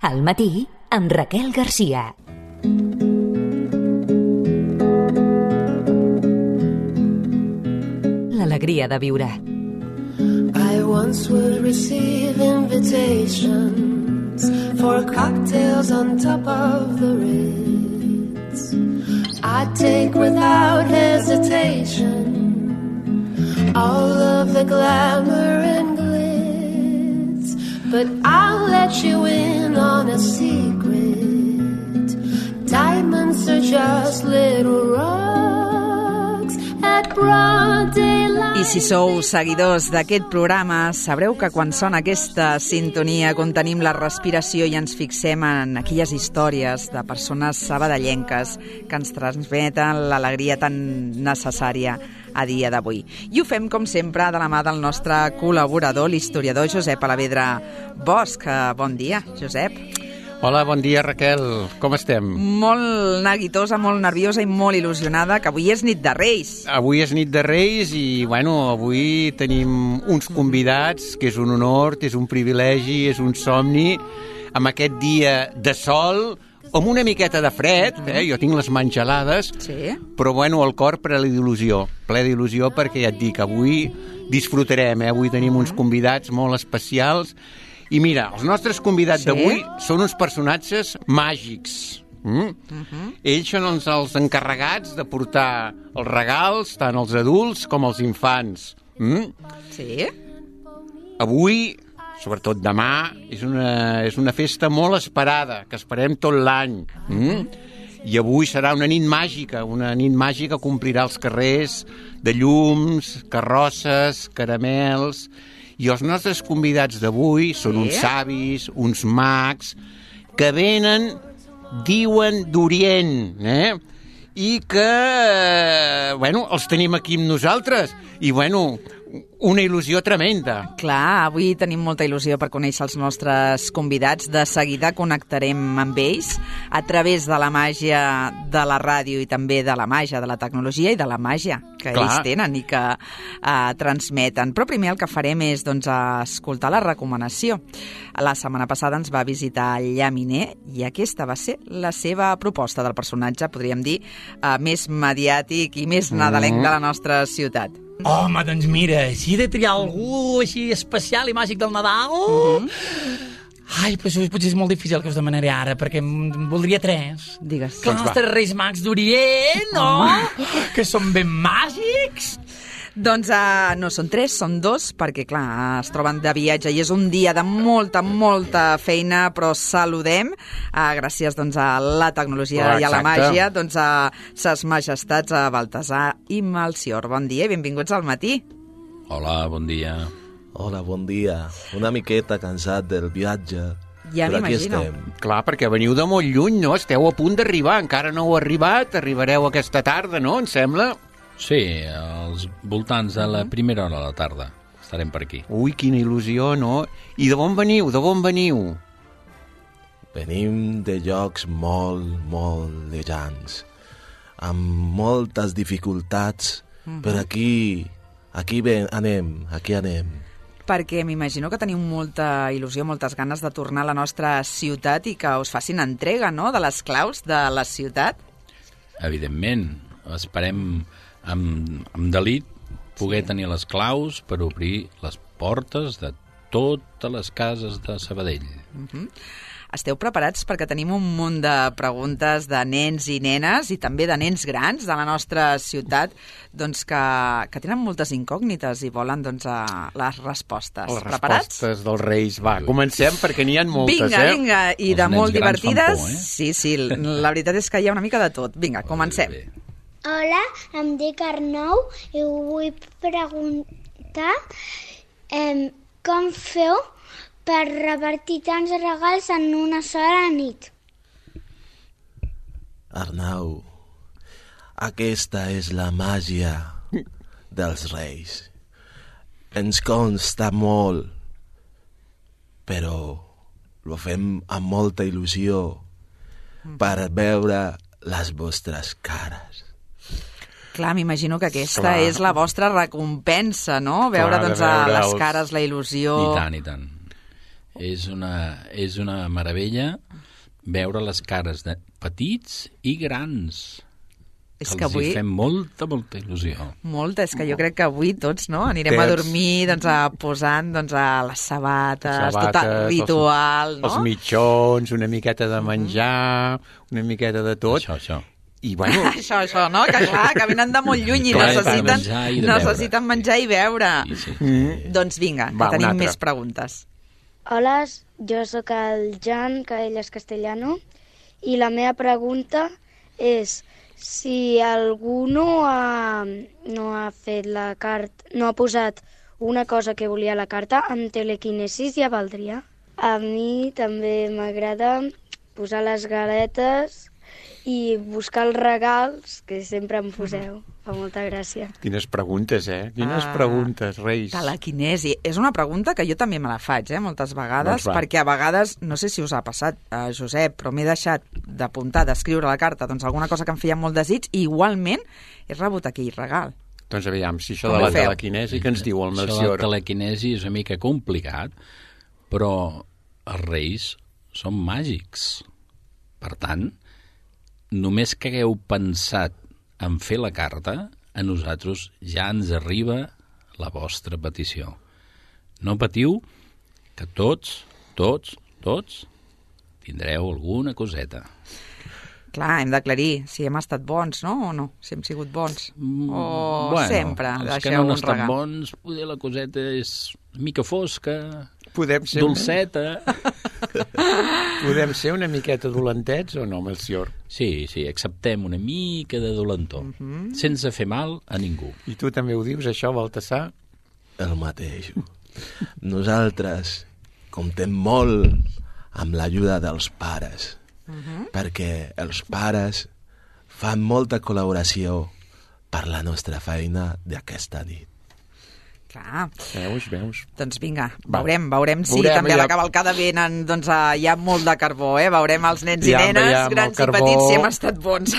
Al matí, amb Raquel Garcia. L'alegria de viure. I once would receive invitations for cocktails on top of the Ritz. I'd take without hesitation all of the glamour and glitz, but I'll let you in on a secret. Diamonds are just little rocks at broad daylight. I si sou seguidors d'aquest programa, sabreu que quan sona aquesta sintonia contenim la respiració i ens fixem en aquelles històries de persones sabadellenques que ens transmeten l'alegria tan necessària a dia d'avui. I ho fem, com sempre, de la mà del nostre col·laborador, l'historiador Josep Alavedra Bosch. Bon dia, Josep. Hola, bon dia, Raquel. Com estem? Molt neguitosa, molt nerviosa i molt il·lusionada, que avui és nit de Reis. Avui és nit de Reis i, avui tenim uns convidats, que és un honor, és un privilegi, és un somni, amb aquest dia de sol, amb una miqueta de fred, jo tinc les mans gelades, sí. Però, el cor ple d'il·lusió, perquè ja et dic, avui disfrutarem, avui tenim uns convidats molt especials. I mira, els nostres convidats d'avui són uns personatges màgics. Ells són els encarregats de portar els regals, tant als adults com als infants. Sí. Avui, sobretot demà, és una festa molt esperada, que esperem tot l'any. I avui serà una nit màgica que omplirà els carrers de llums, carrosses, caramels. I els nostres convidats d'avui són uns savis, uns mags, que venen, diuen, d'Orient, i que, els tenim aquí amb nosaltres. I, una il·lusió tremenda. Clar, avui tenim molta il·lusió per conèixer els nostres convidats. De seguida connectarem amb ells a través de la màgia de la ràdio i també de la màgia de la tecnologia i de la màgia que ells tenen i que transmeten. Però primer el que farem és escoltar la recomanació. La setmana passada ens va visitar el Llaminer i aquesta va ser la seva proposta del personatge, podríem dir, més mediàtic i més nadalenc de la nostra ciutat. Home, doncs mira, si he de triar algú així especial i màgic del Nadal... Ai, potser és molt difícil que us demanaré ara, perquè en voldria 3. Digues. Que els nostres Reis Mags d'Orient, no? Que són ben màgics. Doncs no són 3, són 2, perquè, clar, es troben de viatge i és un dia de molta feina, però saludem, gràcies a la tecnologia i a la màgia, a ses majestats a Baltasar i Melcior. Bon dia i benvinguts al matí. Hola, bon dia. Hola, bon dia. Una miqueta cansat del viatge. Ja m'imagino. Clar, perquè veniu de molt lluny, no? Esteu a punt d'arribar, encara no heu arribat, arribareu aquesta tarda, no? Em sembla... Sí, als voltants de la primera hora de la tarda. Estarem per aquí. Ui, quina il·lusió, no? I de on veniu? Venim de llocs molt lejans, amb moltes dificultats, però aquí anem. Perquè m'imagino que teniu molta il·lusió, moltes ganes de tornar a la nostra ciutat i que us facin entrega, no?, de les claus de la ciutat. Evidentment. Esperem amb delit poder tenir les claus per obrir les portes de totes les cases de Sabadell. Esteu preparats perquè tenim un munt de preguntes de nens i nenes i també de nens grans de la nostra ciutat que tenen moltes incògnites i volen les respostes. Preparats? Les respostes dels Reis. Va, comencem perquè n'hi ha moltes, Vinga, i de molt divertides. Por, Sí, la veritat és que hi ha una mica de tot. Vinga, comencem. Hola, em dic Arnau i vull preguntar com feu per repartir tants regals en una sola nit. Arnau, aquesta és la màgia dels Reis. Ens consta molt, però ho fem amb molta il·lusió per veure les vostres cares. Clar, m'imagino que aquesta és la vostra recompensa, no? Veure les cares, la il·lusió... I tant. És una meravella veure les cares de petits i grans. És que que els avui... hi fem molta il·lusió. Molta, és que jo crec que avui tots, no?, anirem a dormir posant les sabates, tot el ritual, no? Els mitjons, una miqueta de menjar, una miqueta de tot. Això. I bueno... Això, no? Que clar, que venen de molt lluny i necessiten menjar i beure. Sí. Doncs vinga, que tenim més preguntes. Hola, jo sóc el Jan Caellas Castellano i la meva pregunta és si algú no ha fet la carta, no ha posat una cosa que volia a la carta, amb telequinesis ja valdria. A mi també m'agrada posar les galetes i buscar els regals que sempre em poseu. Fa molta gràcia. Quines preguntes, Quines preguntes, Reis. Telequinesi. És una pregunta que jo també me la faig, moltes vegades, perquè a vegades, no sé si us ha passat, Josep, però m'he deixat d'apuntar, d'escriure a la carta, alguna cosa que em feia molt desig, i igualment he rebut aquell regal. Doncs aviam, si això de la telequinesi, què ens diu el Melcior? Això de la telequinesi és una mica complicat, però els Reis són màgics. Per tant, només que hagueu pensat en fer la carta, a nosaltres ja ens arriba la vostra petició. No patiu, que tots tindreu alguna coseta. Clar, hem d'aclarir si hem estat bons, no? O no? Si hem sigut bons. O sempre els que deixeu no han un estat regal. bons, poder la coseta és mica fosca, Podem ser dolceta. Podem ser una miqueta dolentets o no, Melcior? Sí, acceptem una mica de dolentor, sense fer mal a ningú. I tu també ho dius, això, Baltasar? El mateix. Nosaltres comptem molt amb l'ajuda dels pares, perquè els pares fan molta col·laboració per la nostra feina d'aquesta nit. Clar. Veus? Doncs vinga, veurem si també a la cavalcada venen, hi ha molt de carbó, Veurem els nens i nenes, grans i petits, si hem estat bons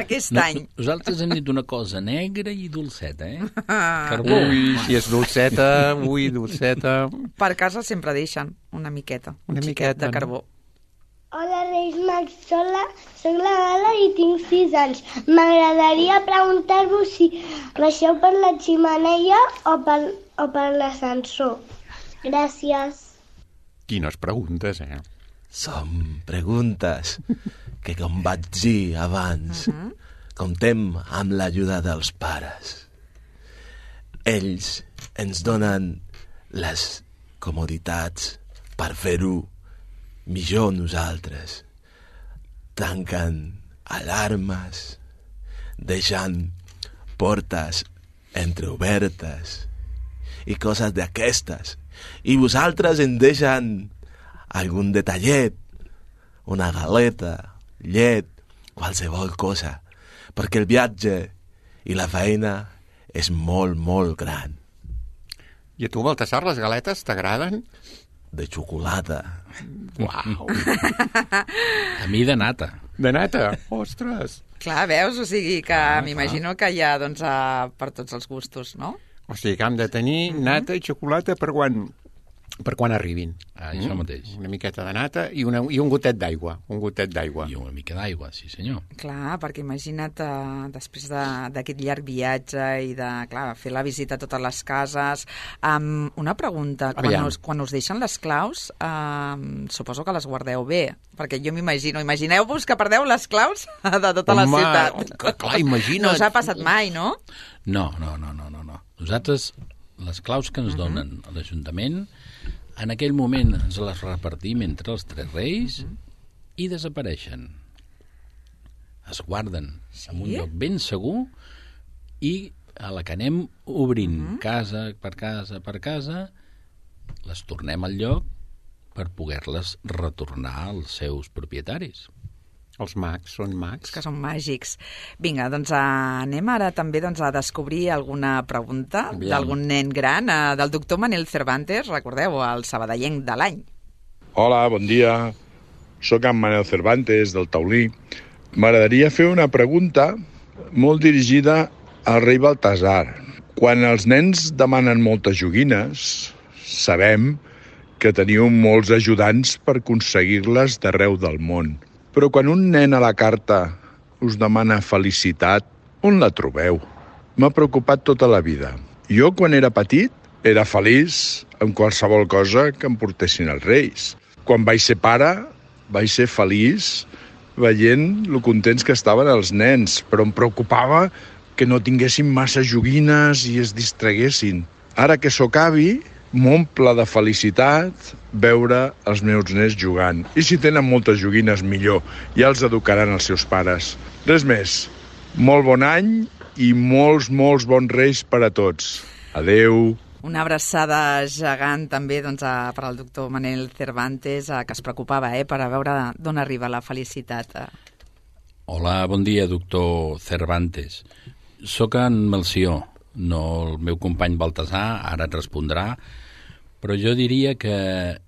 aquest any. Nosaltres hem dit una cosa negra i dolceta, Carbó. Ui, si és dolceta, dolceta. Per casa sempre deixen una miqueta, un xiquet de carbó. Hola, Reis Mags, soc la Gala i tinc 6 anys. M'agradaria preguntar-vos si baixeu per la xemeneia o per l'ascensor. Gràcies. Quines preguntes, Són preguntes que, com vaig dir abans, comptem amb l'ajuda dels pares. Ells ens donen les comoditats per fer-ho millor nosaltres. Tanquen alarmes, deixant portes entreobertes i coses d'aquestes. I vosaltres en deixen algun detallet, una galeta, llet, qualsevol cosa, perquè el viatge i la feina és molt, molt gran. I a tu, Baltasar, les galetes t'agraden? De xocolata. Uau! A mi de nata. De nata? Ostres! Clar, veus? O sigui que m'imagino que hi ha per tots els gustos, no? O sigui que hem de tenir nata i xocolata per quan arribin. Això mateix. Una miqueta de nata i un gotet d'aigua. I una mica d'aigua, sí senyor. Clar, perquè imagina't després d'aquest llarg viatge i de fer la visita a totes les cases. Una pregunta, quan us deixen les claus, suposo que les guardeu bé, perquè jo imagineu-vos que perdeu les claus de tota la ciutat. Clar, imagina't. No us ha passat mai, no? No. Nosaltres, les claus que ens donen a l'Ajuntament, en aquell moment ens les repartim entre els 3 reis i desapareixen. Es guarden en un lloc ben segur i a la que anem obrint casa per casa, les tornem al lloc per poder-les retornar als seus propietaris. Els mags són mags. Que són màgics. Vinga, doncs anem ara també a descobrir alguna pregunta d'algun nen gran, del doctor Manel Cervantes, recordeu, el sabadellenc de l'any. Hola, bon dia. Soc en Manel Cervantes, del Taulí. M'agradaria fer una pregunta molt dirigida al rei Baltasar. Quan els nens demanen moltes joguines, sabem que teníeu molts ajudants per aconseguir-les d'arreu del món. Però quan un nen a la carta us demana felicitat, on la trobeu? M'ha preocupat tota la vida. Jo, quan era petit, era feliç amb qualsevol cosa que em portessin els Reis. Quan vaig ser pare, vaig ser feliç veient lo contents que estaven els nens, però em preocupava que no tinguessin massa joguines i es distraguessin. Ara que sóc avi, m'omple de felicitat veure els meus nens jugant. I si tenen moltes joguines, millor. Ja els educaran els seus pares. Res més. Molt bon any i molts bons Reis per a tots. Adeu. Una abraçada gegant també per al doctor Manel Cervantes, que es preocupava per a veure d'on arriba la felicitat. Hola, bon dia, doctor Cervantes. Soc en Melcior, no el meu company Baltasar, ara et respondrà, però jo diria que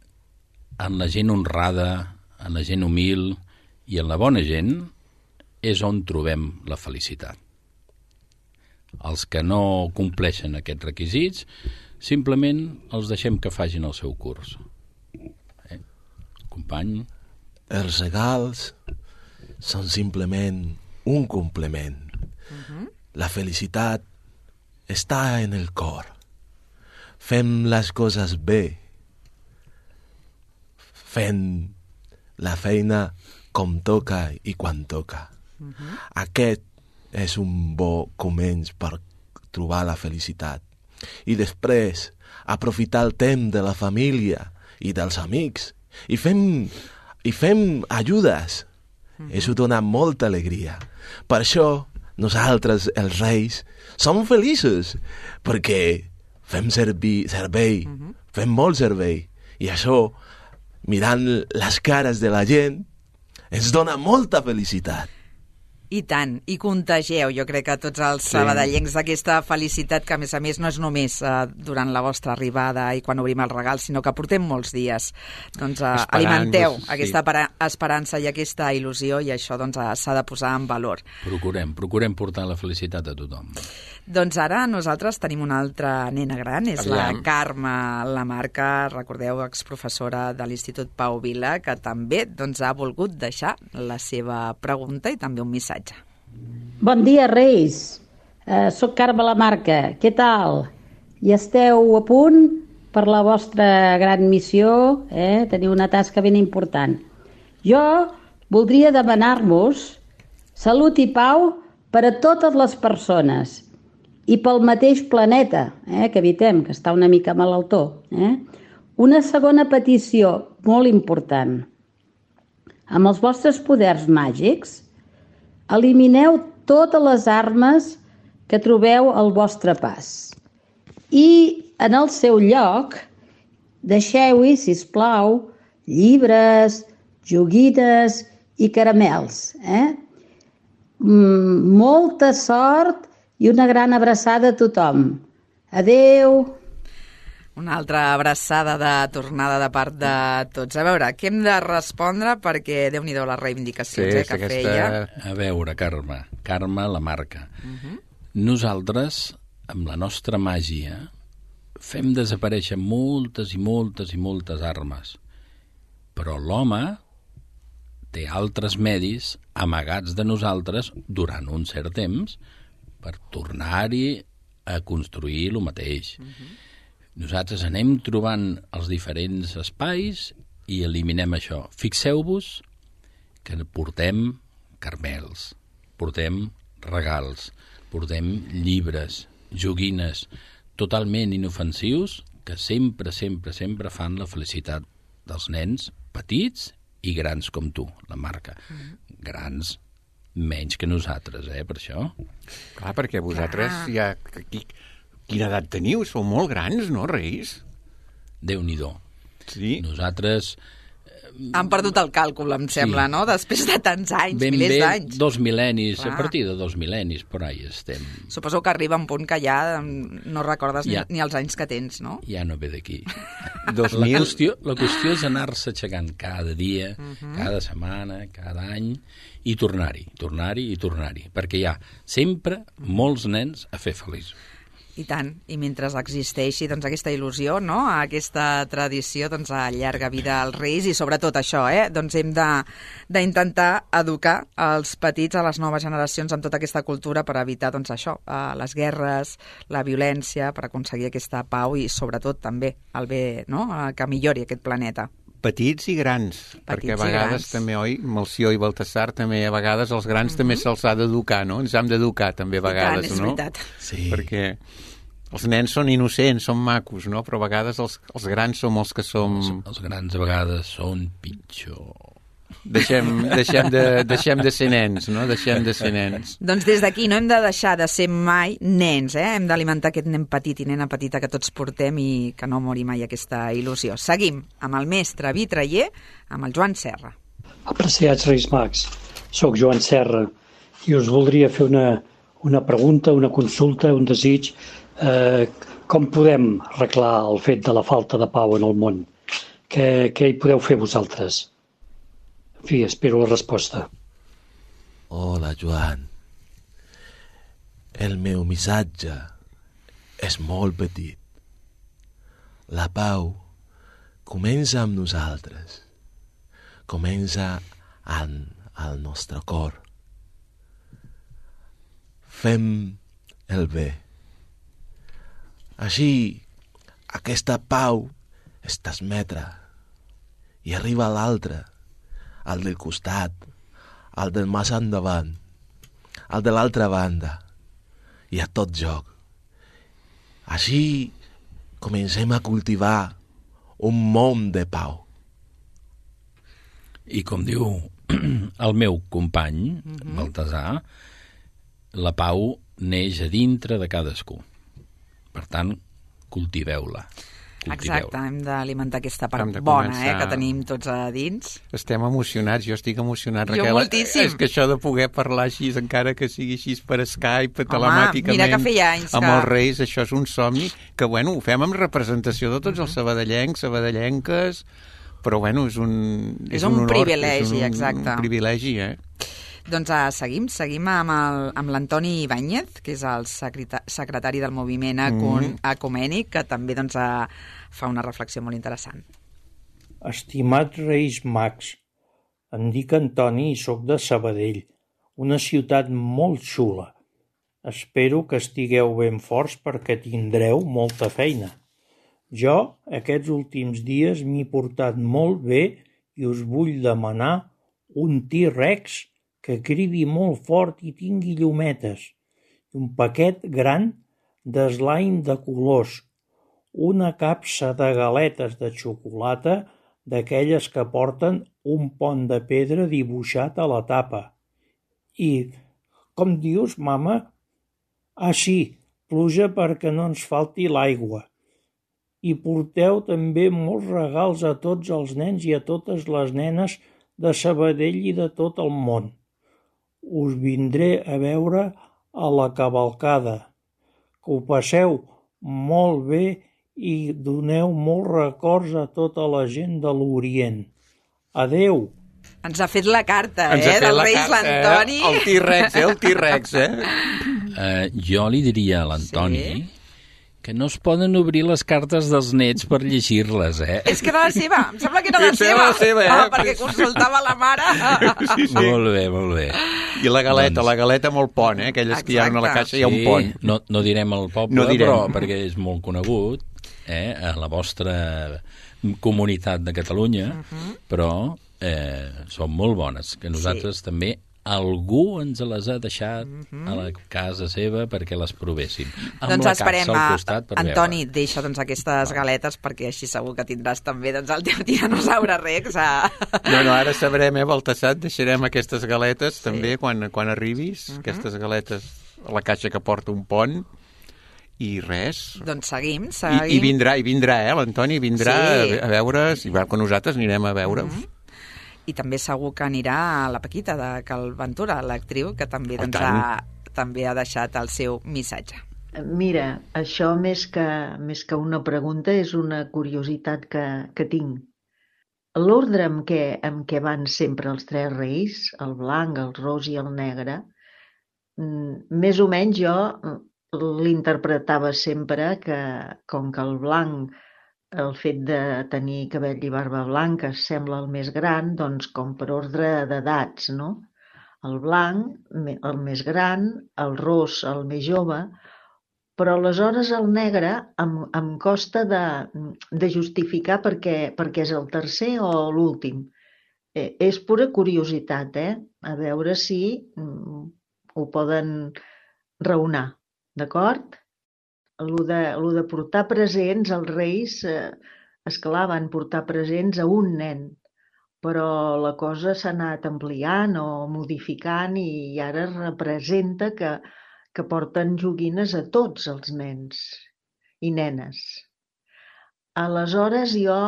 en la gent honrada, en la gent humil i en la bona gent és on trobem la felicitat. Els que no compleixen aquests requisits, simplement els deixem que facin el seu curs. Company? Els regals són simplement un complement. La felicitat està en el cor. Fem les coses bé. Fent la feina com toca i quan toca. Aquest és un bo començ per trobar la felicitat. I després aprofitar el temps de la família i dels amics i fem ajudes. Això dona molta alegria. Per això nosaltres, els Reis, som feliços, perquè fem servei, fem molt servei. I això, mirant les cares de la gent, ens dona molta felicitat. I tant, i contagieu, jo crec que tots els sabadellencs d'aquesta felicitat que a més no és només durant la vostra arribada i quan obrim els regals, sinó que portem molts dies. Doncs alimenteu aquesta esperança i aquesta il·lusió i això s'ha de posar en valor. Procurem portar la felicitat a tothom. Doncs ara nosaltres tenim una altra nena gran, és la Carme Lamarca, recordeu, exprofessora de l'Institut Pau Vila, que també ha volgut deixar la seva pregunta i també un missatge. Bon dia, Reis. Soc Carme Lamarca. Què tal? I esteu a punt per la vostra gran missió? Teniu una tasca ben important. Jo voldria demanar-vos salut i pau per a totes les persones i pel mateix planeta que habitem, que està una mica malaltó. Una segona petició molt important. Amb els vostres poders màgics, elimineu totes les armes que trobeu al vostre pas. I en el seu lloc, deixeu-hi, sisplau, llibres, joguines i caramels. Molta sort i una gran abraçada a tothom. Adeu! Una altra abraçada de tornada de part de tots. A veure, què hem de respondre perquè Déu-n'hi-do les reivindicacions que feia. A veure, Carme Lamarca. Nosaltres, amb la nostra màgia, fem desaparèixer moltes armes. Però l'home té altres medis amagats de nosaltres durant un cert temps per tornar-hi a construir el mateix. Nosaltres anem trobant els diferents espais i eliminem això. Fixeu-vos que portem caramels, portem regals, portem llibres, joguines, totalment inofensius que sempre fan la felicitat dels nens petits i grans com tu, la Marca. Grans menys que nosaltres, per això. Clar, perquè vosaltres ja... Quina edat teniu? Sou molt grans, no, Reis? Déu-n'hi-do. Sí? Nosaltres... Han perdut el càlcul, em sembla, no? Després de tants anys, milers d'anys. 2 mil·lennis, a partir de 2 mil·lennis, por ahí estem. Suposo que arriba un punt que ja no recordes ni els anys que tens, no? Ja no ve d'aquí. La qüestió és anar-se aixecant cada dia, cada setmana, cada any, i tornar-hi, perquè hi ha sempre molts nens a fer feliços. I tant, i mentre existeixi doncs, aquesta il·lusió, no? Aquesta tradició, doncs, allarga vida als Reis i sobretot això, doncs hem d'intentar educar els petits, a les noves generacions, amb tota aquesta cultura per evitar doncs, això, les guerres, la violència, per aconseguir aquesta pau i sobretot també el bé, no? Que millori aquest planeta. Petits i grans, perquè a vegades també, oi, Melcior i Baltasar també, a vegades els grans també se'ls ha d'educar, no? Ens hem d'educar també a vegades, no? És veritat. Sí. Perquè els nens són innocents, són macos, no? Però a vegades els grans som els que som... Els grans a vegades són pitjor. Deixem de ser nens, no? Deixem de ser nens. Doncs des d'aquí no hem de deixar de ser mai nens, Hem d'alimentar aquest nen petit i nena petita que tots portem i que no mori mai aquesta il·lusió. Seguim amb el mestre vitraller, amb el Joan Serra. Apreciats Reis Mags, soc Joan Serra i us voldria fer una pregunta, una consulta, un desig. Com podem arreglar el fet de la falta de pau en el món? Què hi podeu fer vosaltres? En fi, espero la resposta. Hola, Joan. El meu missatge és molt petit. La pau comença amb nosaltres. Comença al nostre cor. Fem el bé. Així, aquesta pau es transmetrà i arriba a l'altre, al del costat, al del més endavant, al de l'altra banda i a tot joc. Així comencem a cultivar un món de pau. I com diu el meu company, Baltasar, la pau neix a dintre de cadascú. Per tant, cultiveu-la. Exacte, hem d'alimentar aquesta part bona que tenim tots a dins. Estem emocionats, jo estic emocionat, Raquel. Jo moltíssim. És que això de poder parlar així, encara que sigui així per Skype, telemàticament, mira que feia anys amb els Reis, això és un somni, que bueno, ho fem amb representació de tots els sabadellencs, sabadellenques, però bueno, és un honor, privilegi, exacte. Un privilegi, Doncs seguim amb l'Antoni Ibáñez, que és el secretari del moviment ecumènic, que també doncs, fa una reflexió molt interessant. Estimats Reis Mags, em dic Antoni i sóc de Sabadell, una ciutat molt xula. Espero que estigueu ben forts perquè tindreu molta feina. Jo, aquests últims dies, m'he portat molt bé i us vull demanar un T-Rex que cridi molt fort i tingui llumetes, un paquet gran de slime de colors, una capsa de galetes de xocolata d'aquelles que porten un pont de pedra dibuixat a la tapa. I, com dius, mama? Ah, sí, pluja perquè no ens falti l'aigua. I porteu també molts regals a tots els nens i a totes les nenes de Sabadell i de tot el món. Us vindré a veure a la cavalcada. Que ho passeu molt bé i doneu molts records a tota la gent de l'Orient. Adeu! Ens ha fet la carta, del Reis l'Antoni. El T-Rex, el T-Rex, Jo li diria a l'Antoni que no es poden obrir les cartes dels nets per llegir-les, És que era la seva, em sembla que era la seva, perquè consultava la mare. Sí. Molt bé. I la galeta molt pont, aquelles que hi ha a la caixa, hi ha un pont. No direm el poble, però perquè és molt conegut, a la vostra comunitat de Catalunya, però són molt bones, que nosaltres també algú ens les ha deixat a la casa seva perquè les provéssim. Doncs esperem, Antoni, deixa aquestes galetes perquè així segur que tindràs també el teu tiranosaure Rex. No, ara sabrem, Baltasar, deixarem aquestes galetes també quan arribis, aquestes galetes a la caixa que porta un pont. I res. Doncs seguim. I vindrà, l'Antoni vindrà a veure, quan nosaltres anirem a veure. I també segur que anirà a la Paquita de Cal Ventura, l'actriu, que també també ha deixat el seu missatge. Mira, això més que una pregunta és una curiositat que tinc. L'ordre amb què van sempre els tres reis, el blanc, el ros i el negre, més o menys jo l'interpretava sempre que, com que el blanc, el fet de tenir cabell i barba blanca sembla el més gran, doncs com per ordre d'edats, no? El blanc, el més gran, el ros, el més jove, però aleshores el negre em costa de justificar perquè és el tercer o l'últim. És pura curiositat, a veure si ho poden raonar, d'acord? Lo de portar presents, els reis, esclar, van portar presents a un nen, però la cosa s'ha anat ampliant o modificant i ara representa que porten joguines a tots els nens i nenes. Aleshores jo,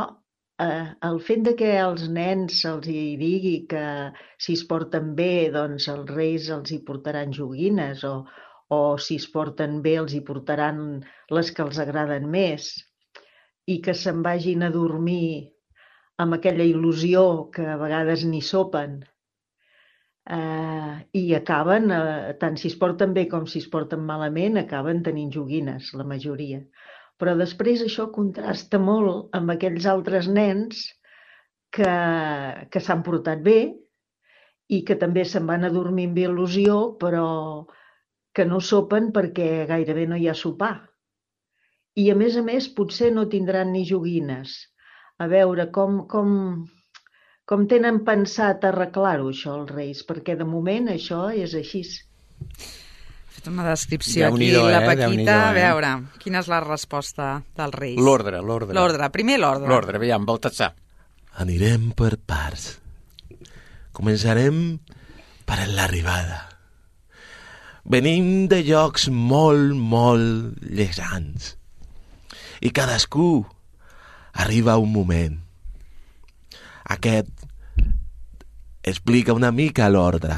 el fet de que als nens se'ls digui que si es porten bé, doncs els reis els hi portaran joguines o si es porten bé els hi portaran les que els agraden més i que se'n vagin a dormir amb aquella il·lusió que a vegades ni sopen i acaben, tant si es porten bé com si es porten malament, acaben tenint joguines, la majoria. Però després això contrasta molt amb aquells altres nens que s'han portat bé i que també se'n van a dormir amb il·lusió, però que no sopen perquè gairebé no hi ha sopar. I a més, potser no tindran ni joguines. A veure, com tenen pensat arreglar-ho, això, els reis? Perquè de moment això és així. Ha fet una descripció aquí, la Paquita. A veure, quina és la resposta dels reis? L'ordre. Primer l'ordre. L'ordre, aviam, Baltasar. Anirem per parts. Començarem per l'arribada. Venim de llocs molt, molt llegans. I cadascú arriba un moment. Aquest explica una mica l'ordre.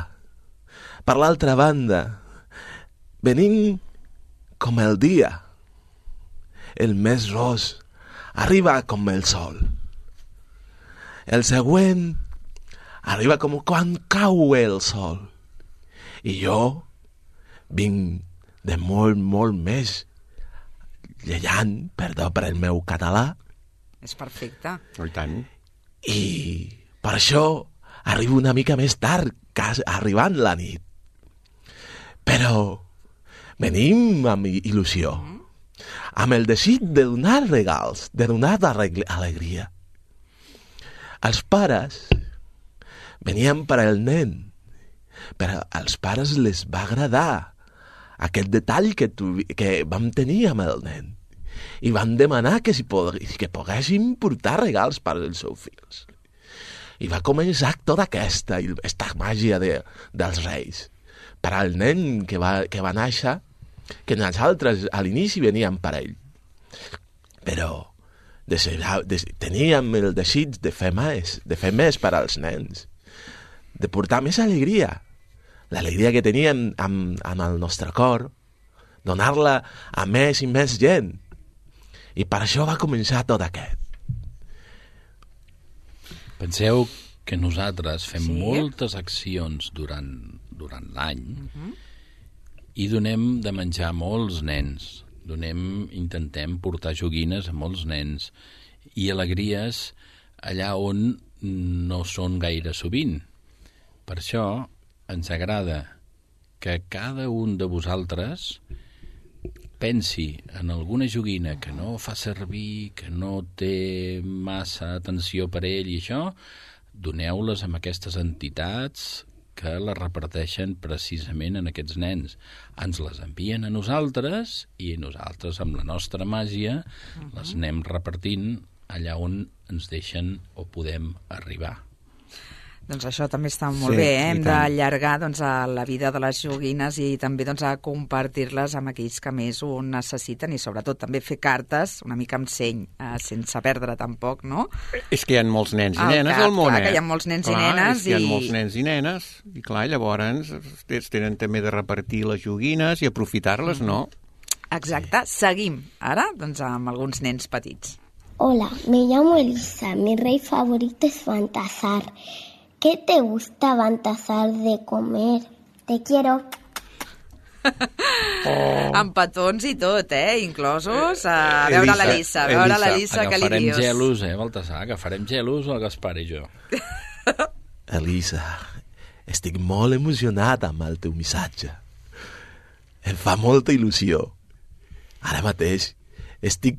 Per l'altra banda, venim com el dia. El més ros arriba com el sol. El següent arriba com quan cau el sol. I jo vinc de molt, molt més llegant, perdó per el meu català. És perfecte. I tant. I per això arribo una mica més tard, arribant la nit. Però venim amb il·lusió, amb el desig de donar regals, de donar alegria. Els pares venien per al nen, però als pares les va agradar aquest detall que vam tenir amb el nen i van demanar que poguessin portar regals per als seus fills. I va començar tota aquesta màgia dels reis per al nen que va néixer, que nosaltres a l'inici veníem per ell, però teníem el desig de fer més per als nens, de portar més alegria, l'alegria que teníem amb el nostre cor, donar-la a més i més gent. I per això va començar tot aquest. Penseu que nosaltres fem moltes accions durant l'any i donem de menjar a molts nens. Intentem portar joguines a molts nens i alegries allà on no són gaire sovint. Per això ens agrada que cada un de vosaltres pensi en alguna joguina que no fa servir, que no té massa atenció per ell i això, doneu-les a aquestes entitats que les reparteixen precisament en aquests nens. Ens les envien a nosaltres i nosaltres, amb la nostra màgia, les anem repartint allà on ens deixen o podem arribar. Doncs això també està molt bé, hem d'allargar la vida de les joguines i també a compartir-les amb aquells que més ho necessiten i sobretot també fer cartes una mica amb seny, sense perdre tampoc, no? És que hi ha molts nens i nenes al món, Clar, que hi ha molts nens i nenes. Hi ha molts nens i nenes i clar, llavors es tenen també de repartir les joguines i aprofitar-les, no? Exacte, seguim ara amb alguns nens petits. Hola, me llamo Elisa, mi rey favorito es Baltasar. ¿Qué te gusta, Baltasar, de comer? Te quiero. Amb petons i tot, inclosos. A veure l'Elisa, què li dius? Agafarem gelos, Baltasar, agafarem gelos el Gaspar i jo. Elisa, estic molt emocionat amb el teu missatge. Em fa molta il·lusió. Ara mateix estic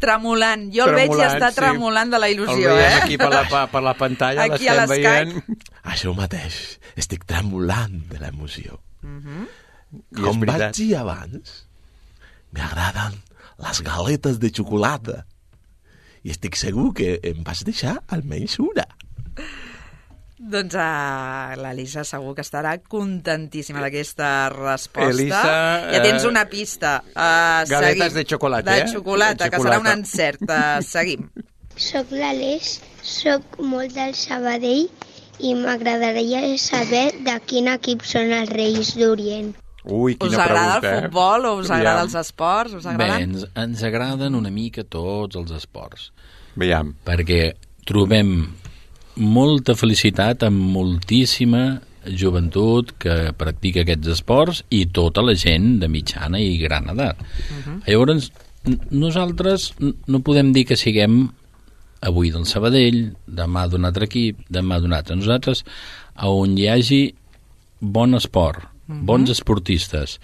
tremolant. Jo el veig i està tremolant de la il·lusió, El veiem aquí per la pantalla, aquí a l'estem veient. Això mateix, estic tremolant de l'emoció. I Com és veritat. vaig dir abans, m'agraden les galetes de xocolata. I estic segur que em vas deixar almenys una. Doncs l'Elisa segur que estarà contentíssima d'aquesta resposta. Elisa, ja tens una pista. Galetes de xocolata, De xocolata, que serà un encert. Seguim. Soc l'Aleix, soc molt del Sabadell i m'agradaria saber de quin equip són els Reis d'Orient. Ui, quina us agrada pregunta, el futbol o us agrada els esports? Us agraden? Bé, ens agraden una mica tots els esports. Veiem. Perquè trobem molta felicitat amb moltíssima joventut que practica aquests esports i tota la gent de mitjana i gran edat. Llavors, nosaltres no podem dir que siguem avui del Sabadell, demà d'un altre equip, demà d'un altre. Nosaltres, on hi hagi bon esport, bons esportistes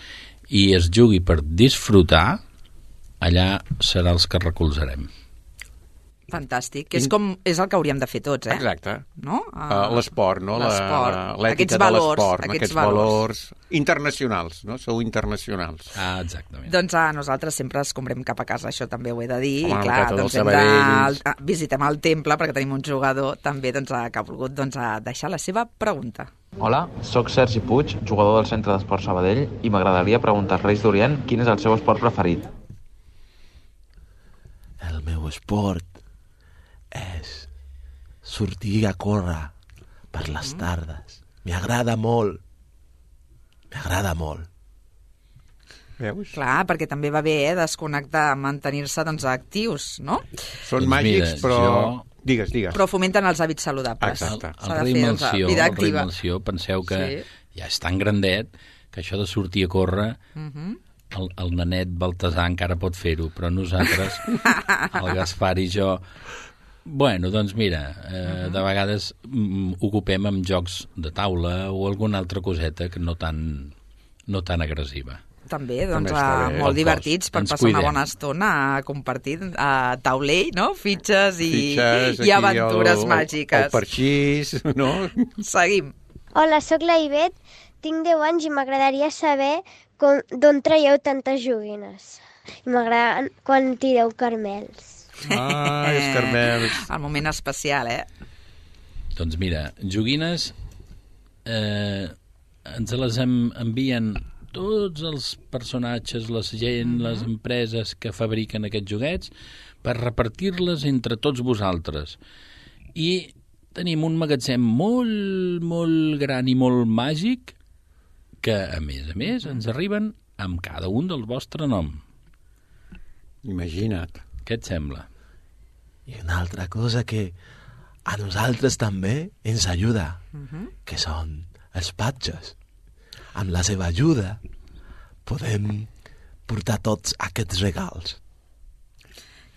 i es jugui per disfrutar, allà serà els que recolzarem. Fantàstic. És el que hauríem de fer tots, Exacte. No? L'esport, no? L'esport. L'ètica de l'esport, aquests valors internacionals, no? Sou internacionals. Exactament. Doncs nosaltres sempre escombrem cap a casa, això també ho he de dir. Home, I clar, el doncs visitem el temple perquè tenim un jugador també que ha volgut deixar la seva pregunta. Hola, sóc Sergi Puig, jugador del Centre d'Esport Sabadell, i m'agradaria preguntar als Reis d'Orient quin és el seu esport preferit. El meu esport és sortir a córrer per les tardes. M'agrada molt. M'agrada molt. Veus? Clar, perquè també va bé desconnectar, mantenir-se actius, no? Són màgics, però... Digues. Però fomenten els hàbits saludables. Exacte. El rei Melcior, penseu que ja és tan grandet que això de sortir a córrer, el nanet Baltasar encara pot fer-ho, però nosaltres, el Gaspar i jo... Bueno, doncs mira, de vegades ocupem amb jocs de taula o alguna altra coseta que no tan agressiva. També, molt divertits per passar una bona estona compartint taulell, no? Fitxes i aventures màgiques. El parxís, no? Seguim. Hola, sóc la Ivet, tinc 10 anys i m'agradaria saber d'on traieu tantes joguines. I m'agrada quan tireu carmels. Els carmels. El moment especial, Doncs mira, joguines ens les envien tots els personatges, la gent, les empreses que fabriquen aquests joguets per repartir-les entre tots vosaltres. I tenim un magatzem molt, molt gran i molt màgic que, a més, ens arriben amb cada un del vostre nom. Imagina't. Què et sembla? I una altra cosa que a nosaltres també ens ajuda, que són els patges. Amb la seva ajuda podem portar tots aquests regals.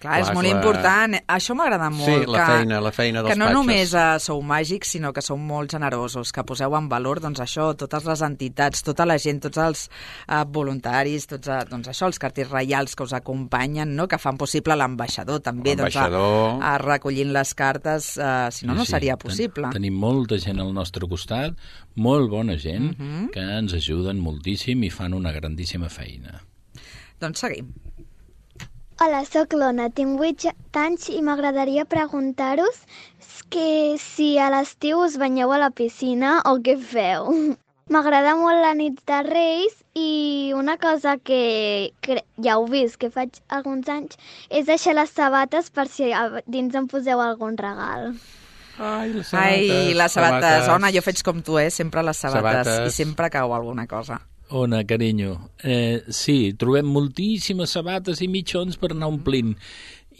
Clar, és molt important. Això m'agrada molt. Sí, la feina dels patges. Que no només sou màgics, sinó que sou molt generosos, que poseu en valor això, totes les entitats, tota la gent, tots els voluntaris, tots això, els cartells reials que us acompanyen, no? Que fan possible l'ambaixador també, recollint les cartes, si no, no seria possible. Tenim molta gent al nostre costat, molt bona gent, que ens ajuden moltíssim i fan una grandíssima feina. Doncs seguim. Hola, sóc l'Ona, tinc 8 anys i m'agradaria preguntar-vos que si a l'estiu us banyeu a la piscina o què feu. M'agrada molt la nit de Reis i una cosa que ja heu vist que faig alguns anys és deixar les sabates per si dins em poseu algun regal. Ai, les sabates. Ona, jo faig com tu, sempre les sabates. I sempre cau alguna cosa. Ona, carinyo, sí, trobem moltíssimes sabates i mitjons per anar omplint.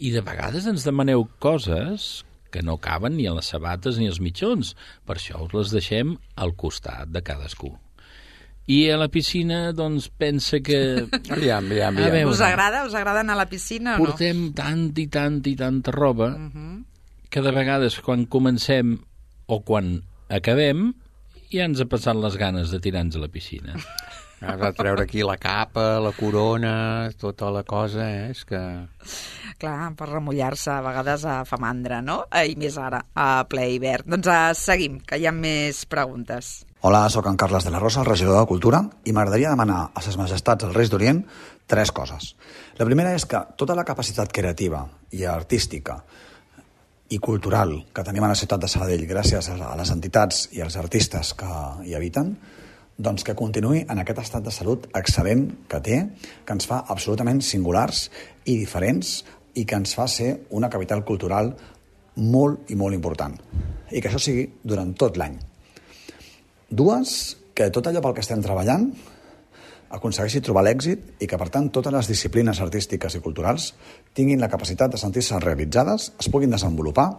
I de vegades ens demaneu coses que no caben ni a les sabates ni als mitjons. Per això us les deixem al costat de cadascú. I a la piscina, doncs, pensa que... Aviam. Us agrada anar a la piscina o no? Portem tanta roba que de vegades quan comencem o quan acabem ja ens ha passat les ganes de tirar-nos a la piscina. Has de treure aquí la capa, la corona, tota la cosa, és que... Clar, per remullar-se a vegades fa mandra, no? I més ara, a ple hivern. Doncs seguim, que hi ha més preguntes. Hola, sóc en Carles de la Rosa, el regidor de Cultura, i m'agradaria demanar a ses majestats els Reis d'Orient 3 coses. La primera és que tota la capacitat creativa i artística i cultural que tenim a la ciutat de Sabadell gràcies a les entitats i als artistes que hi habiten, doncs que continuï en aquest estat de salut excel·lent que té, que ens fa absolutament singulars i diferents i que ens fa ser una capital cultural molt i molt important. I que això sigui durant tot l'any. 2, que tot allò pel que estem treballant aconsegueixi trobar l'èxit i que, per tant, totes les disciplines artístiques i culturals tinguin la capacitat de sentir-se realitzades, es puguin desenvolupar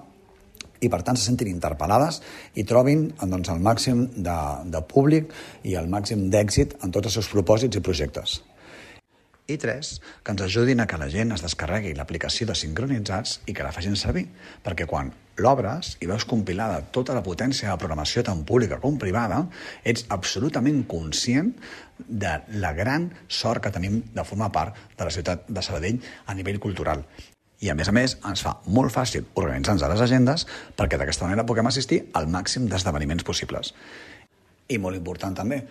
i, per tant, se sentin interpel·lades i trobin doncs, el màxim de públic i el màxim d'èxit en tots els seus propòsits i projectes. I 3, que ens ajudin a que la gent es descarregui l'aplicació de Sincronitzats i que la facin servir, perquè quan l'obres i veus compilada tota la potència de programació tant pública com privada, ets absolutament conscient de la gran sort que tenim de formar part de la ciutat de Sabadell a nivell cultural. I, a més, ens fa molt fàcil organitzar-nos a les agendes perquè d'aquesta manera puguem assistir al màxim d'esdeveniments possibles. I molt important també,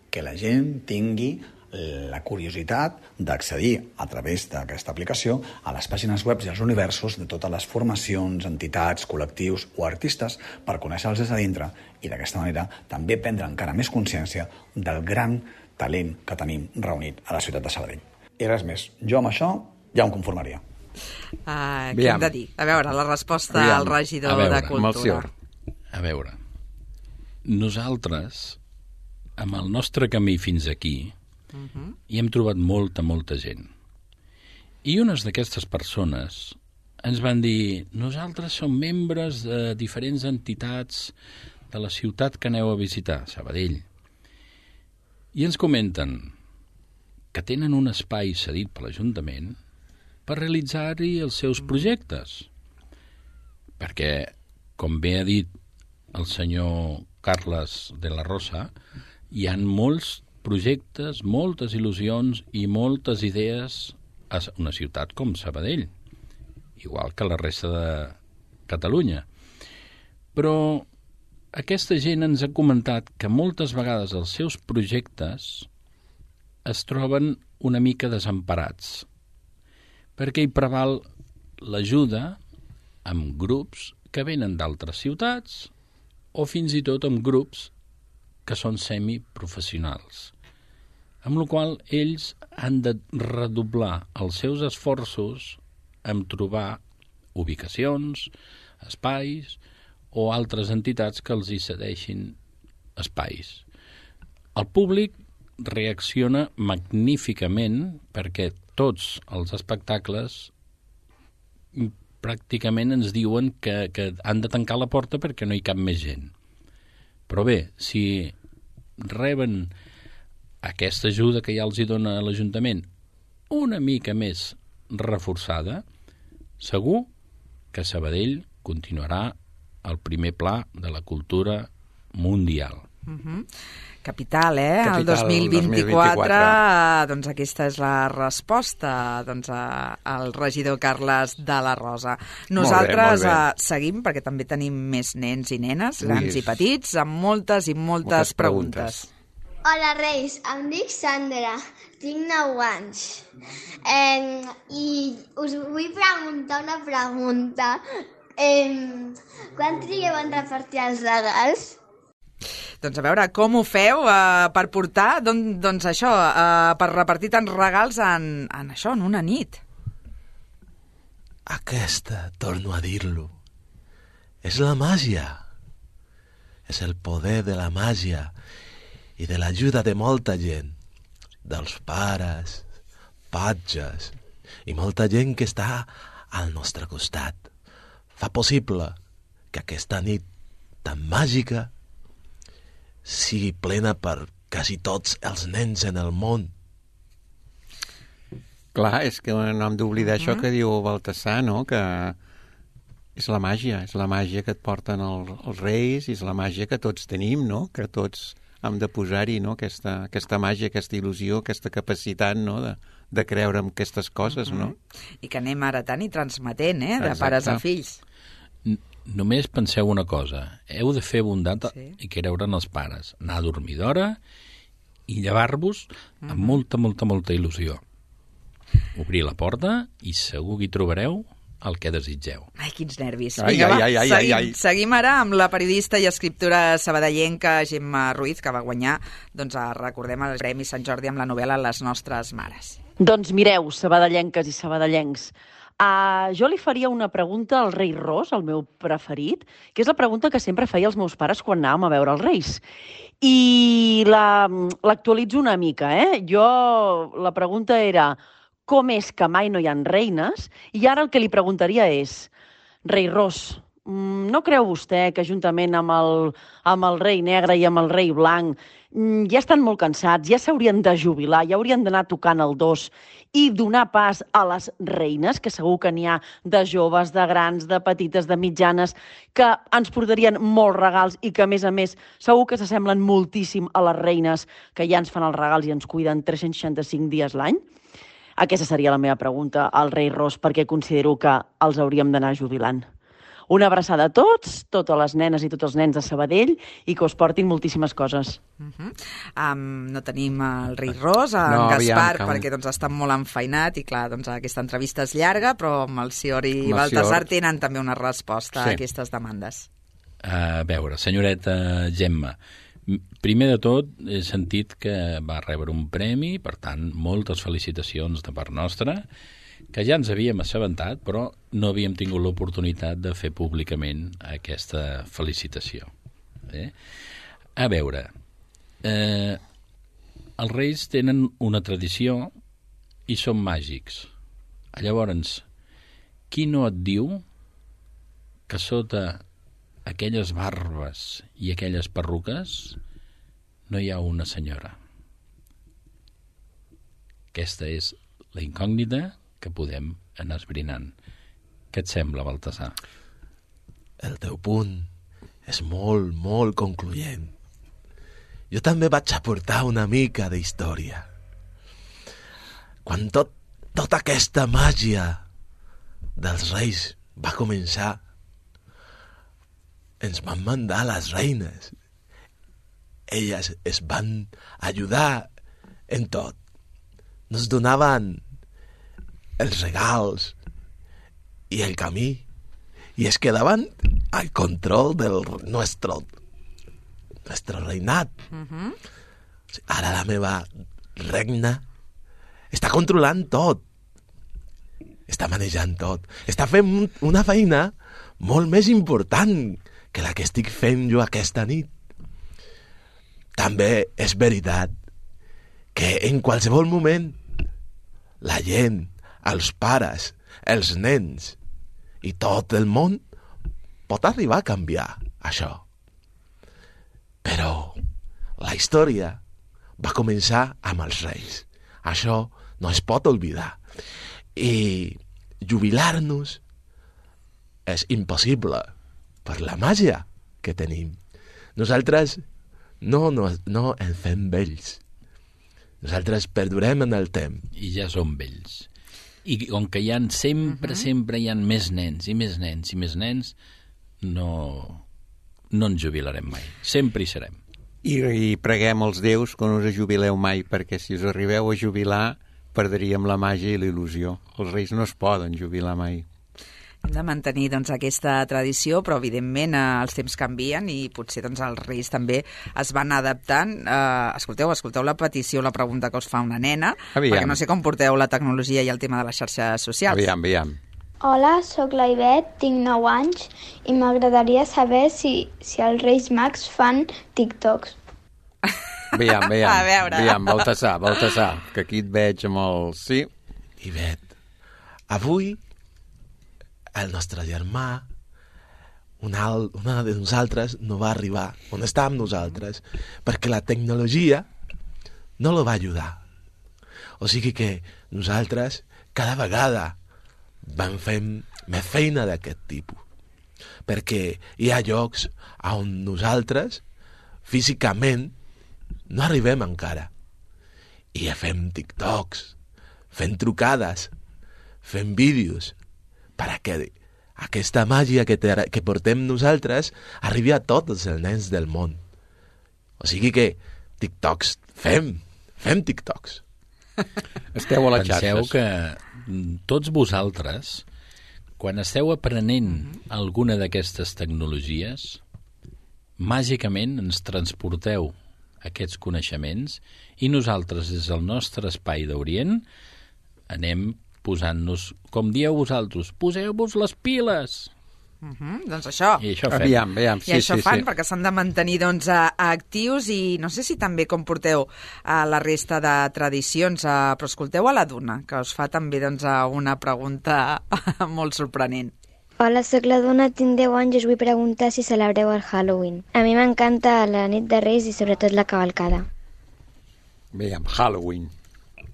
que la gent tingui la curiositat d'accedir a través d'aquesta aplicació a les pàgines web i als universos de totes les formacions, entitats, col·lectius o artistes per conèixer-los des de dintre i d'aquesta manera també prendre encara més consciència del gran talent que tenim reunit a la ciutat de Sabadell. I res més, jo amb això ja em conformaria. Què hem de dir? A veure, la resposta al regidor de Cultura. A veure, nosaltres, amb el nostre camí fins aquí, i hem trobat molta gent. I unes d'aquestes persones ens van dir: nosaltres som membres de diferents entitats de la ciutat que aneu a visitar, Sabadell. I ens comenten que tenen un espai cedit per l'Ajuntament per realitzar-hi els seus projectes. Perquè, com bé ha dit el senyor Carles de la Rosa, hi ha molts projectes, moltes il·lusions i moltes idees a una ciutat com Sabadell, igual que la resta de Catalunya. Però aquesta gent ens ha comentat que moltes vegades els seus projectes es troben una mica desemparats, perquè hi preval l'ajuda amb grups que venen d'altres ciutats o fins i tot amb grups que són semiprofessionals, amb la qual ells han de redoblar els seus esforços en trobar ubicacions, espais o altres entitats que els hi cedeixin espais. El públic reacciona magníficament perquè tots els espectacles pràcticament ens diuen que han de tancar la porta perquè no hi cap més gent. Però bé, si reben aquesta ajuda que ja els hi dona l'Ajuntament una mica més reforçada, segur que Sabadell continuarà al primer pla de la cultura mundial. Capital, el 2024, doncs aquesta és la resposta al regidor Carles de la Rosa. Nosaltres molt bé. Seguim, perquè també tenim més nens i nenes, grans i petits, amb moltes i moltes preguntes. Hola, Reis, em dic Sandra, tinc 9 anys i us vull preguntar una pregunta. Quan trigueu en repartir els regals? Doncs a veure, com ho feu per portar, doncs això, per repartir tants regals en una nit? Aquesta, torno a dir-lo, és la màgia. És el poder de la màgia i de l'ajuda de molta gent, dels pares, patges i molta gent que està al nostre costat. Fa possible que aquesta nit tan màgica sigui plena per quasi tots els nens en el món. Clar, és que no hem d'oblidar això que diu Baltasar, no? Que és la màgia que et porten els reis, és la màgia que tots tenim, no? Que tots hem de posar-hi, no? Aquesta màgia, aquesta il·lusió, aquesta capacitat, no? De creure en aquestes coses, no? I que anem heretant i transmetent, de Exacte. pares a fills. Només penseu una cosa, heu de fer bondat i creure en els pares, anar a dormir d'hora i llevar-vos amb molta, molta, molta il·lusió. Obrir la porta i segur que hi trobareu el que desitgeu. Ai, quins nervis. Ai, Vinga, ai, va, ai, seguim. ai. Seguim ara amb la periodista i escriptora sabadellenca Gemma Ruiz, que va guanyar, recordem, el Premi Sant Jordi amb la novel·la Les nostres mares. Doncs mireu, sabadellenques i sabadellencs, jo li faria una pregunta al rei Ros, el meu preferit, que és la pregunta que sempre feia els meus pares quan anàvem a veure els reis. I l'actualitzo una mica, la pregunta era com és que mai no hi ha reines? I ara el que li preguntaria és, rei Ros, no creu vostè que juntament amb el rei negre i amb el rei blanc ja estan molt cansats, ja s'haurien de jubilar, ja haurien d'anar tocant el dos i donar pas a les reines, que segur que n'hi ha de joves, de grans, de petites, de mitjanes, que ens portarien molts regals i que, a més, segur que s'assemblen moltíssim a les reines que ja ens fan els regals i ens cuiden 365 dies l'any? Aquesta seria la meva pregunta al rei Ros, perquè considero que els hauríem d'anar jubilant. Una abraçada a tots, totes les nenes i tots els nens de Sabadell, i que us portin moltíssimes coses. No tenim el rei Ros, en Gaspar, perquè està molt enfeinat, i clar, aquesta entrevista és llarga, però amb el Sior i Baltasar tenen també una resposta a aquestes demandes. A veure, senyoreta Gemma, primer de tot he sentit que va rebre un premi, per tant, moltes felicitacions de part nostra, que ja ens havíem assabentat, però no havíem tingut l'oportunitat de fer públicament aquesta felicitació. A veure, els reis tenen una tradició i són màgics. Llavors, qui no et diu que sota aquelles barbes i aquelles perruques no hi ha una senyora? Aquesta és la incògnita que podem anar esbrinant. Què et sembla, Baltasar? El teu punt és molt, molt concloent. Jo també vaig aportar una mica d'història. Quan tota aquesta màgia dels reis va començar, ens van mandar les reines. Elles es van ajudar en tot. Nos donaven els regals i el camí i es quedaven al control del nostre reinat. Ara la meva regna està controlant tot, està manejant tot, està fent una feina molt més important que la que estic fent jo aquesta nit. També és veritat que en qualsevol moment la gent, els pares, els nens i tot el món pot arribar a canviar això. Però la història va començar amb els reis. Això no es pot oblidar. I jubilar-nos és impossible per la màgia que tenim. Nosaltres no ens fem vells. Nosaltres perdurem en el temps. I ja som vells. I com que hi ha sempre hi ha més nens i més nens i més nens, no ens jubilarem mai. Sempre hi serem. I preguem als déus que no us jubileu mai, perquè si us arribeu a jubilar perdríem la màgia i la il·lusió. Els reis no es poden jubilar mai. Hem de mantenir aquesta tradició, però evidentment els temps canvien i potser els reis també es van adaptant. Escolteu la petició, la pregunta que us fa una nena, perquè no sé com porteu la tecnologia i el tema de les xarxes socials. Aviam. Hola, sóc la Ivet, tinc 9 anys i m'agradaria saber si els Reis Mags fan TikToks. Aviam, A veure. Baltasar, que aquí et veig amb el... Sí. Ivet, avui el nostre germà, una de nosaltres, no va arribar on està amb nosaltres, perquè la tecnologia no lo va ajudar. O sigui que nosaltres cada vegada vam fer més feina d'aquest tipus, perquè hi ha llocs on nosaltres físicament no arribem encara. I fem TikToks, fem trucades, fem vídeos, perquè aquesta màgia que portem nosaltres arribi a tots els nens del món. O sigui que TikToks, fem TikToks. Esteu a les xarxes. Penseu que tots vosaltres, quan esteu aprenent alguna d'aquestes tecnologies, màgicament ens transporteu aquests coneixements i nosaltres, des del nostre espai d'Orient, anem posant-nos, com dieu vosaltres, poseu-vos les piles. Doncs això. I això fem. Aviam, I això fan, perquè s'han de mantenir actius, i no sé si també com porteu la resta de tradicions, però escolteu a la Duna, que us fa també una pregunta molt sorprenent. Hola, soc la Duna, tinc 10 anys i us vull preguntar si celebreu el Halloween. A mi m'encanta la nit de Reis i sobretot la cavalcada. Aviam, Halloween.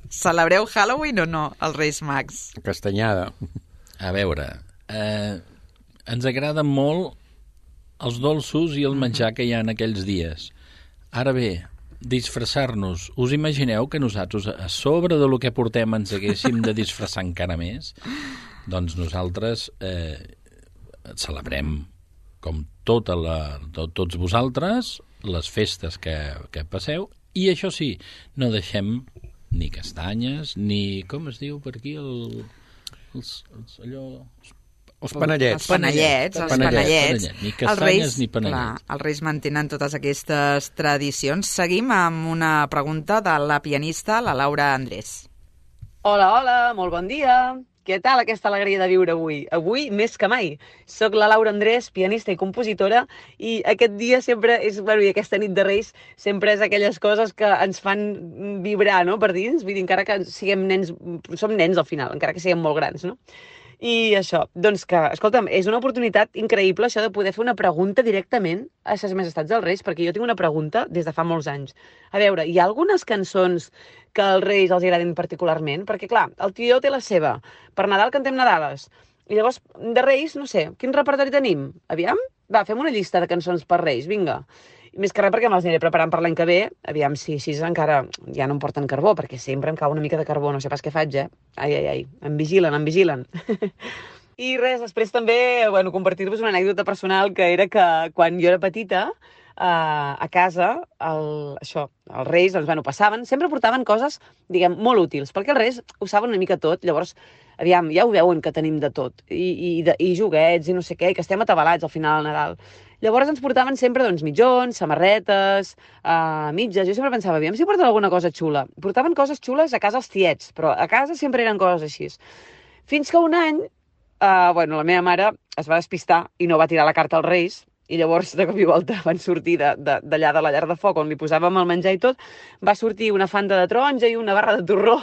Celebreu Halloween o no, els Reis Mags? Castanyada. A veure, ens agraden molt els dolços i el menjar que hi ha en aquells dies. Ara bé, disfressar-nos. Us imagineu que nosaltres, a sobre de lo que portem, ens haguéssim de disfressar encara més? Doncs nosaltres celebrem, com tots vosaltres, les festes que passeu, i això sí, no deixem ni castanyes, ni, com es diu per aquí, Els panellets. Els panellets. Ni castanyes ni panellets. Clar, els Reis mantenen totes aquestes tradicions. Seguim amb una pregunta de la pianista, la Laura Andrés. Hola, molt bon dia. Què tal aquesta alegria de viure avui? Avui, més que mai. Soc la Laura Andrés, pianista i compositora, i aquest dia sempre és, i aquesta nit de Reis sempre és aquelles coses que ens fan vibrar, no?, per dins. Vull dir, encara que siguem nens, som nens al final, encara que siguem molt grans, no? I això, doncs que, escolta'm, és una oportunitat increïble això de poder fer una pregunta directament a Ses Majestats dels Reis, perquè jo tinc una pregunta des de fa molts anys. A veure, hi ha algunes cançons que als Reis els agradin particularment? Perquè, clar, el tió té la seva. Per Nadal cantem Nadales. I llavors, de Reis, no sé, quin repertori tenim? Aviam? Va, fem una llista de cançons per Reis, vinga. I més que res perquè me les aniré preparant per l'any que ve. Aviam si així encara ja no em porten carbó, perquè sempre em cau una mica de carbó, no sé pas què faig, Ai, em vigilen. I res, després també, compartir-vos una anècdota personal, que era que quan jo era petita, a casa, els Reis, passaven, sempre portaven coses, diguem, molt útils, perquè els Reis ho saben una mica tot, llavors, aviam, ja ho veuen que tenim de tot, i joguets, i no sé què, i que estem atabalats al final del Nadal. Llavors ens portaven sempre, mitjons, samarretes, mitges. Jo sempre pensava, aviam si porten alguna cosa xula. Portaven coses xules a casa els tiets, però a casa sempre eren coses així. Fins que un any, la meva mare es va despistar i no va tirar la carta als Reis, i llavors, de cop i volta, van sortir d'allà de la llar de foc, on li posàvem el menjar i tot, va sortir una fanta de taronja i una barra de torró,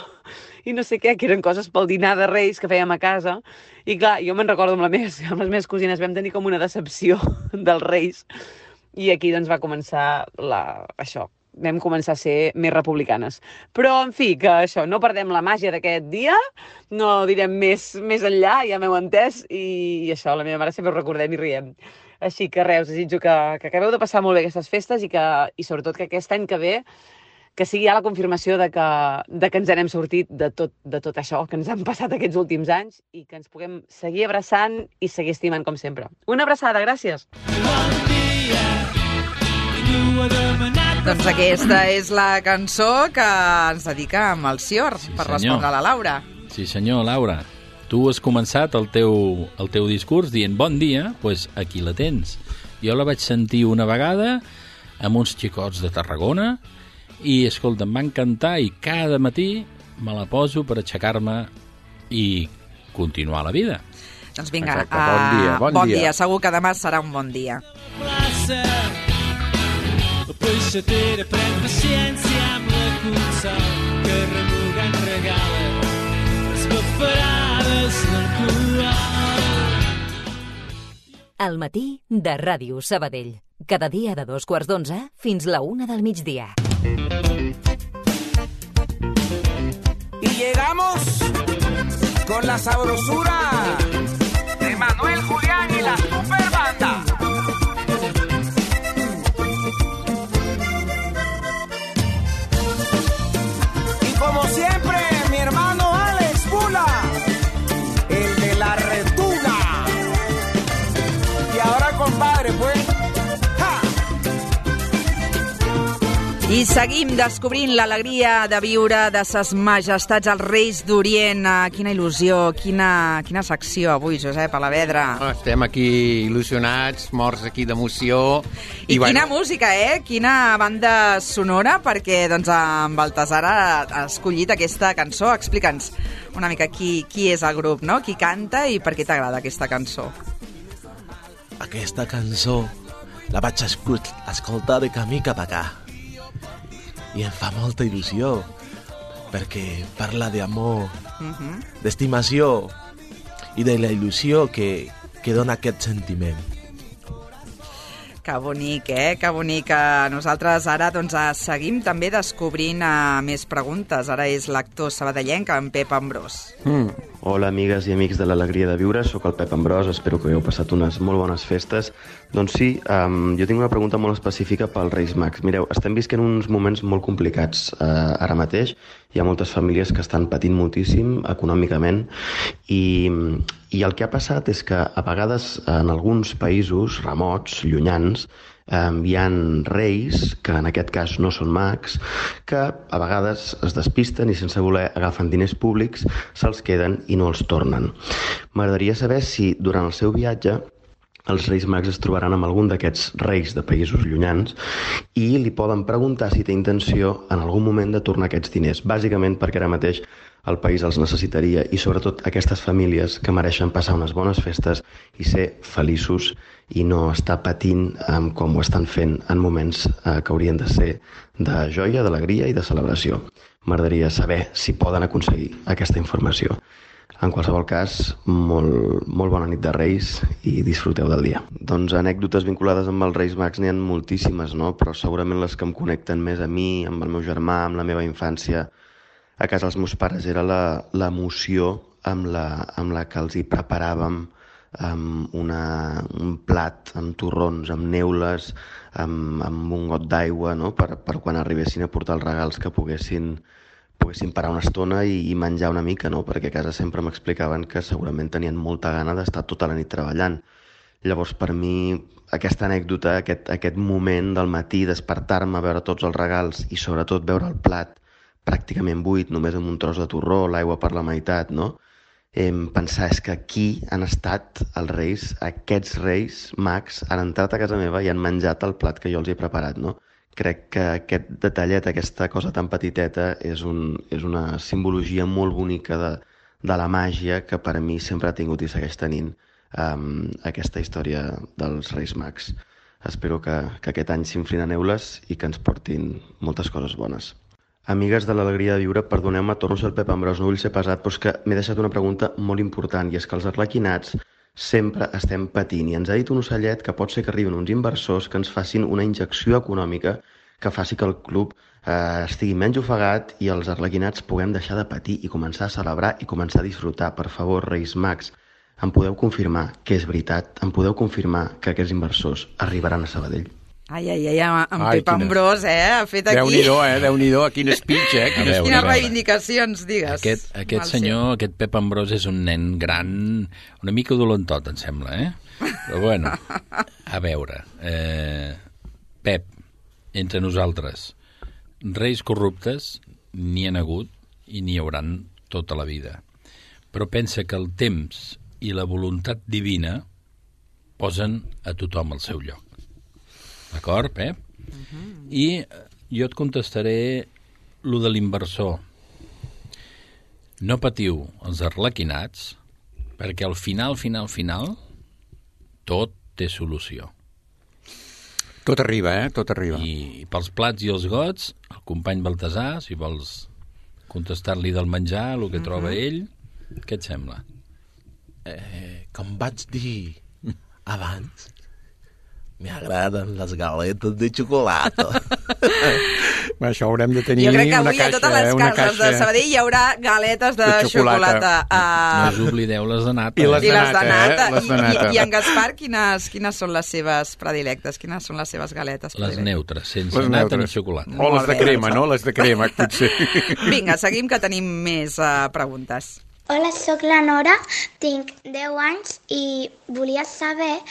i no sé què, que eren coses pel dinar de Reis que fèiem a casa. I clar, jo me'n recordo amb les meves cosines, vam tenir com una decepció dels Reis, i aquí doncs va començar això. Vam començar a ser més republicanes. Però, en fi, que això, no perdem la màgia d'aquest dia, no direm més enllà, ja m'heu entès, i això, la meva mare sempre ho recordem i riem. Així que res, us desitjo que acabeu de passar molt bé aquestes festes i sobretot que aquest any que ve que sigui ja la confirmació de que ens n'hem sortit de tot això que ens han passat aquests últims anys i que ens puguem seguir abraçant i seguir estimant com sempre. Una abraçada, gràcies! Doncs aquesta és la cançó que ens dedica a Melcior, per respondre a la Laura. Sí senyor, Laura. Tu has començat el teu discurs dient bon dia, doncs aquí la tens. Jo la vaig sentir una vegada amb uns xicots de Tarragona i, escolta, em va encantar i cada matí me la poso per aixecar-me i continuar la vida. Doncs vinga, exacte, bon dia. Segur que demà serà un bon dia. El peixater pren paciència amb la consol que remugant regala les bafarades d'alcohol. Al matí de Ràdio Sabadell. Cada dia de 2:15 fins la 1 del migdia. llegamos con la sabrosura de Manuel Julián y la super banda. Y como siempre, mi hermano Alex Bula, el de la retuga. Y ahora, compadre, pues... I seguim descobrint l'alegria de viure de ses majestats els Reis d'Orient. Quina il·lusió, quina secció avui, Josep Alavedra. Estem aquí il·lusionats, morts aquí d'emoció. I quina música, Quina banda sonora, perquè doncs, en Baltasar ha escollit aquesta cançó. Explica'ns una mica qui és el grup, no? Qui canta i per què t'agrada aquesta cançó. Aquesta cançó la vaig escoltar de camí cap acá. I em fa molta il·lusió, perquè parla d'amor, d'estimació i de la il·lusió que dona aquest sentiment. Que bonic, Que bonic. Nosaltres ara doncs, seguim també descobrint més preguntes. Ara és l'actor sabadellenc, en Pep Ambrós. Hola, amigues i amics de l'Alegria de Viure. Soc el Pep Ambrós, espero que hagueu passat unes molt bones festes. Doncs sí, jo tinc una pregunta molt específica pels Reis Mags. Mireu, estem visquent uns moments molt complicats ara mateix. Hi ha moltes famílies que estan patint moltíssim econòmicament i el que ha passat és que a vegades en alguns països remots, llunyans, hi ha reis, que en aquest cas no són mags, que a vegades es despisten i sense voler agafen diners públics, se'ls queden i no els tornen. M'agradaria saber si durant el seu viatge els Reis Mags es trobaran amb algun d'aquests reis de països llunyans i li poden preguntar si té intenció en algun moment de tornar aquests diners, bàsicament perquè ara mateix el país els necessitaria i sobretot aquestes famílies que mereixen passar unes bones festes i ser feliços i no estar patint com ho estan fent en moments que haurien de ser de joia, d'alegria i de celebració. M'agradaria saber si poden aconseguir aquesta informació. En qualsevol cas, molt bona nit de Reis i disfruteu del dia. Doncs anècdotes vinculades amb els Reis Mags n'hi ha moltíssimes, no? Però segurament les que em connecten més a mi, amb el meu germà, amb la meva infància, a casa dels meus pares, era l'emoció amb la que els hi preparàvem un plat amb torrons, amb neules, amb un got d'aigua, no? per quan arribessin a portar els regals que poguessin parar una estona i menjar una mica, no? Perquè a casa sempre m'explicaven que segurament tenien molta gana d'estar tota la nit treballant. Llavors, per mi, aquesta anècdota, aquest moment del matí, despertar-me, veure tots els regals i sobretot veure el plat pràcticament buit, només amb un tros de torró, l'aigua per la meitat, no? Pensar és que aquí han estat els reis, aquests Reis Mags han entrat a casa meva i han menjat el plat que jo els he preparat, no? Crec que aquest detallet, aquesta cosa tan petiteta, és una simbologia molt bonica de la màgia que per a mi sempre ha tingut i segueix tenint aquesta història dels Reis Mags. Espero que aquest any s'inflin a neules i que ens portin moltes coses bones. Amigues de l'Alegria de Viure, perdoneu-me, torno a ser el Pep Ambrós, no vull ser pesat, però és que m'he deixat una pregunta molt important, i és que els arlequinats sempre estem patint, i ens ha dit un ocellet que pot ser que arriben uns inversors que ens facin una injecció econòmica que faci que el club estigui menys ofegat i els arlequinats puguem deixar de patir i començar a celebrar i començar a disfrutar. Per favor, Reis Mags, em podeu confirmar que és veritat? Em podeu confirmar que aquests inversors arribaran a Sabadell? Ai, en Pep Ambrós, ha fet aquí... Déu-n'hi-do, quin speech, Quines reivindicacions, digues. Aquest senyor, aquest Pep Ambrós, és un nen gran, una mica dolentot, em sembla, Però bueno, a veure, Pep, entre nosaltres, reis corruptes n'hi ha hagut i n'hi hauran tota la vida. Però pensa que el temps i la voluntat divina posen a tothom al seu lloc. D'acord, Pep? I jo et contestaré lo de l'inversor. No patiu els arlequinats, perquè al final, tot té solució. Tot arriba, tot arriba. I pels plats i els gots, el company Baltasar, si vols contestar-li del menjar, el que troba ell, què et sembla? Com vaig dir abans, m'agraden les galetes de xocolata. Això haurem de tenir Jo crec que una avui a caixa, totes les cases de Sabadell hi haurà galetes de xocolata. No us oblideu les de nata. I les de nata. I en Gaspar, quines són les seves predilectes? Quines són les seves galetes Les predilectes? neutres, sense nata ni xocolata. O les de crema, no? Les de crema, potser. Vinga, seguim, que tenim més preguntes. Hola, sóc la Nora, tinc 10 anys i volia saber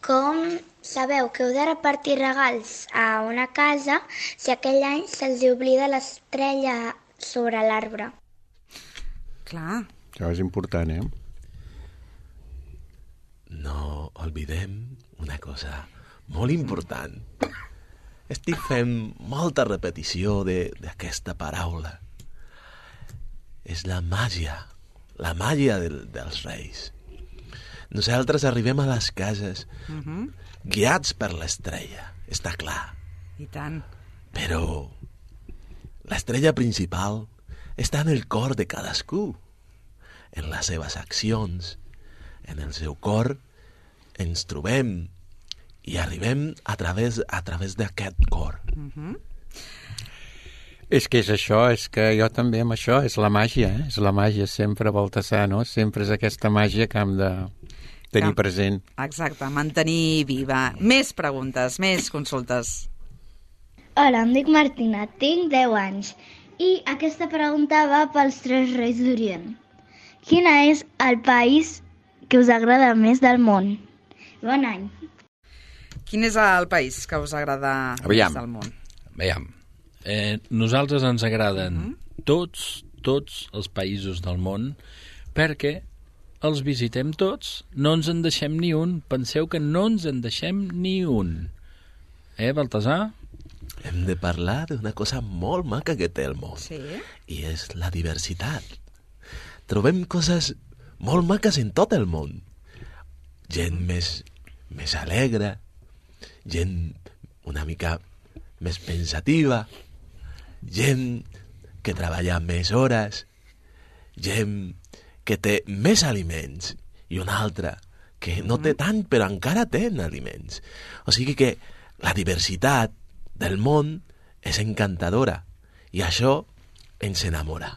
com sabeu que heu de repartir regals a una casa si aquell any se'ls oblida l'estrella sobre l'arbre. Clar. Això és important, eh? No oblidem una cosa molt important. Estic fent molta repetició d'aquesta paraula. És la màgia dels Reis. Nosaltres arribem a les cases guiats per l'estrella, està clar. I tant. Però l'estrella principal està en el cor de cadascú, en les seves accions, en el seu cor ens trobem i arribem a través d'aquest cor. És que és això, és que jo també amb això, és la màgia, és la màgia sempre, Baltasar, no? Sempre és aquesta màgia que hem de tenir present. Exacte, mantenir viva. Més preguntes, més consultes. Hola, em dic Martina, tinc 10 anys i aquesta pregunta va pels 3 Reis d'Orient. Quin és el país que us agrada més del món? Bon any. Quin és el país que us agrada més del món? Aviam. Nosaltres ens agraden tots els països del món perquè els visitem tots, no ens en deixem ni un. Penseu que no ens en deixem ni un. Baltasar? Hem de parlar d'una cosa molt maca que té el món. Sí. I és la diversitat. Trobem coses molt maques en tot el món. Gent més alegre, gent una mica més pensativa, gent que treballa més hores, gent que té més aliments i una altra que no té tant però encara té aliments. O sigui que la diversitat del món és encantadora i això ens enamora.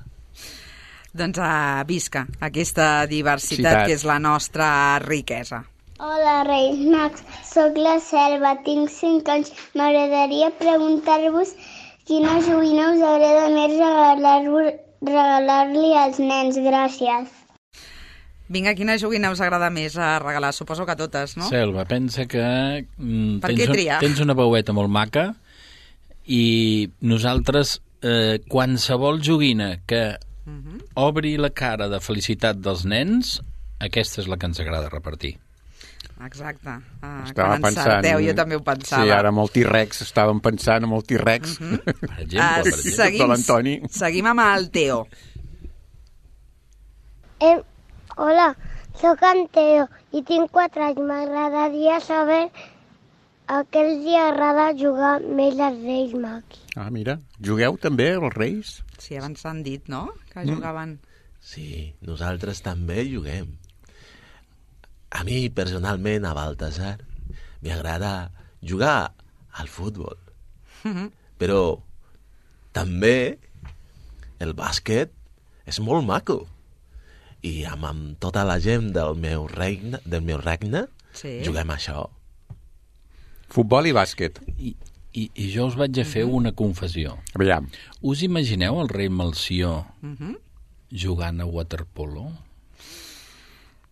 Doncs visca aquesta diversitat que és la nostra riquesa. Hola, Reis Mags, sóc la Selva, tinc 5 anys. M'agradaria preguntar-vos quina joguina us agrada més regalar-li als nens. Gràcies. Vinga, quina joguina us agrada més a regalar? Suposo que totes, no? Selva, pensa que tens una veueta molt maca i nosaltres qualsevol joguina que obri la cara de felicitat dels nens, aquesta és la que ens agrada repartir. Exacte. Estava quan encerteu, jo també ho pensava. Sí, ara amb el T-Rex, estàvem pensant amb el T-Rex per exemple, de l'Antoni. Seguim amb el Teo. Hola, sóc en Teo i tinc 4 anys. M'agradaria saber a què els agrada jugar més als Reis Mags. Mira, jugueu també els Reis? Sí, abans s'han dit, no?, que jugaven. Sí, nosaltres també juguem. A mi, personalment, a Baltasar, m'agrada jugar al futbol. Però també el bàsquet és molt maco. I amb tota la gent del meu regne juguem això. Futbol i bàsquet. I jo us vaig a fer una confessió. Aviam. Us imagineu el rei Melcior jugant a waterpolo?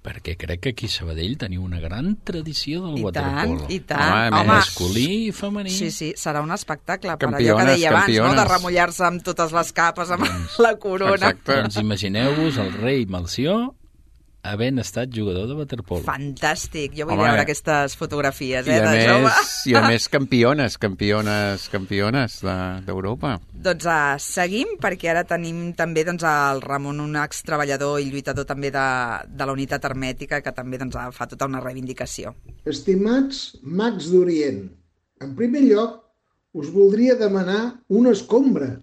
Perquè crec que aquí a Sabadell teniu una gran tradició del waterpolo. I tant. Home, masculí i femení. Sí, serà un espectacle. Per allò que deia abans, no?, de remullar-se amb totes les capes, amb la corona. Exacte. Doncs imagineu-vos el rei Melcior havent estat jugador de waterpolo. Fantàstic. Jo vull veure aquestes fotografies, de jove. I a més campiones d'Europa. Doncs seguim, perquè ara tenim també el Ramon, un extreballador i lluitador també de la unitat hermètica, que també fa tota una reivindicació. Estimats mags d'Orient, en primer lloc us voldria demanar una escombra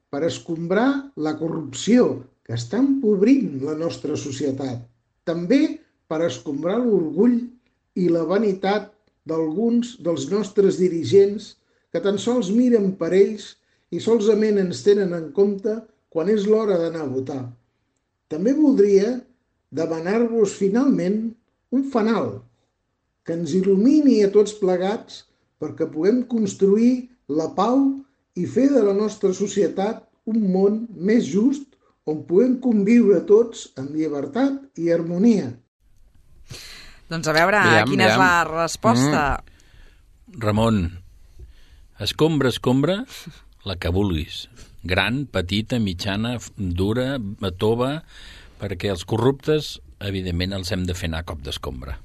per escombrar la corrupció que està empobrint la nostra societat. També per escombrar l'orgull i la vanitat d'alguns dels nostres dirigents que tan sols miren per ells i solament ens tenen en compte quan és l'hora d'anar a votar. També voldria demanar-vos finalment un fanal que ens il·lumini a tots plegats perquè puguem construir la pau i fer de la nostra societat un món més just on puguem conviure tots en llibertat i harmonia. Doncs a veure, quina és la resposta? Ramon, escombra, la que vulguis. Gran, petita, mitjana, dura, tova, perquè els corruptes, evidentment, els hem de fer anar a cop d'escombra.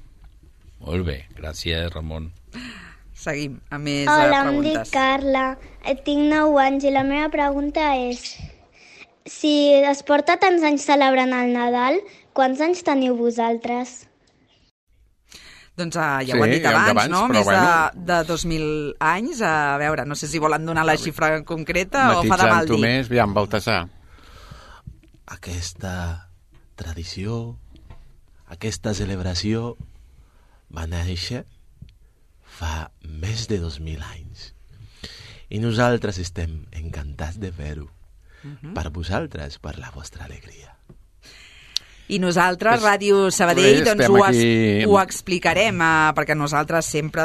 Molt bé, gràcies, Ramon. Seguim amb més Hola, preguntes. em dic Carla, tinc 9 anys i la meva pregunta és: si es porta tants anys celebrant el Nadal, quants anys teniu vosaltres? Doncs ja ho han dit abans, no? Més de 2.000 anys. A veure, no sé si volen donar la xifra concreta o fa de mal dir. Matitzant-ho més, aviam, Baltasar. Aquesta tradició, aquesta celebració va néixer fa més de 2.000 anys. I nosaltres estem encantats de fer-ho. Per vosaltres, per la vostra alegria. I nosaltres, Ràdio Sabadell, ho explicarem, perquè nosaltres sempre,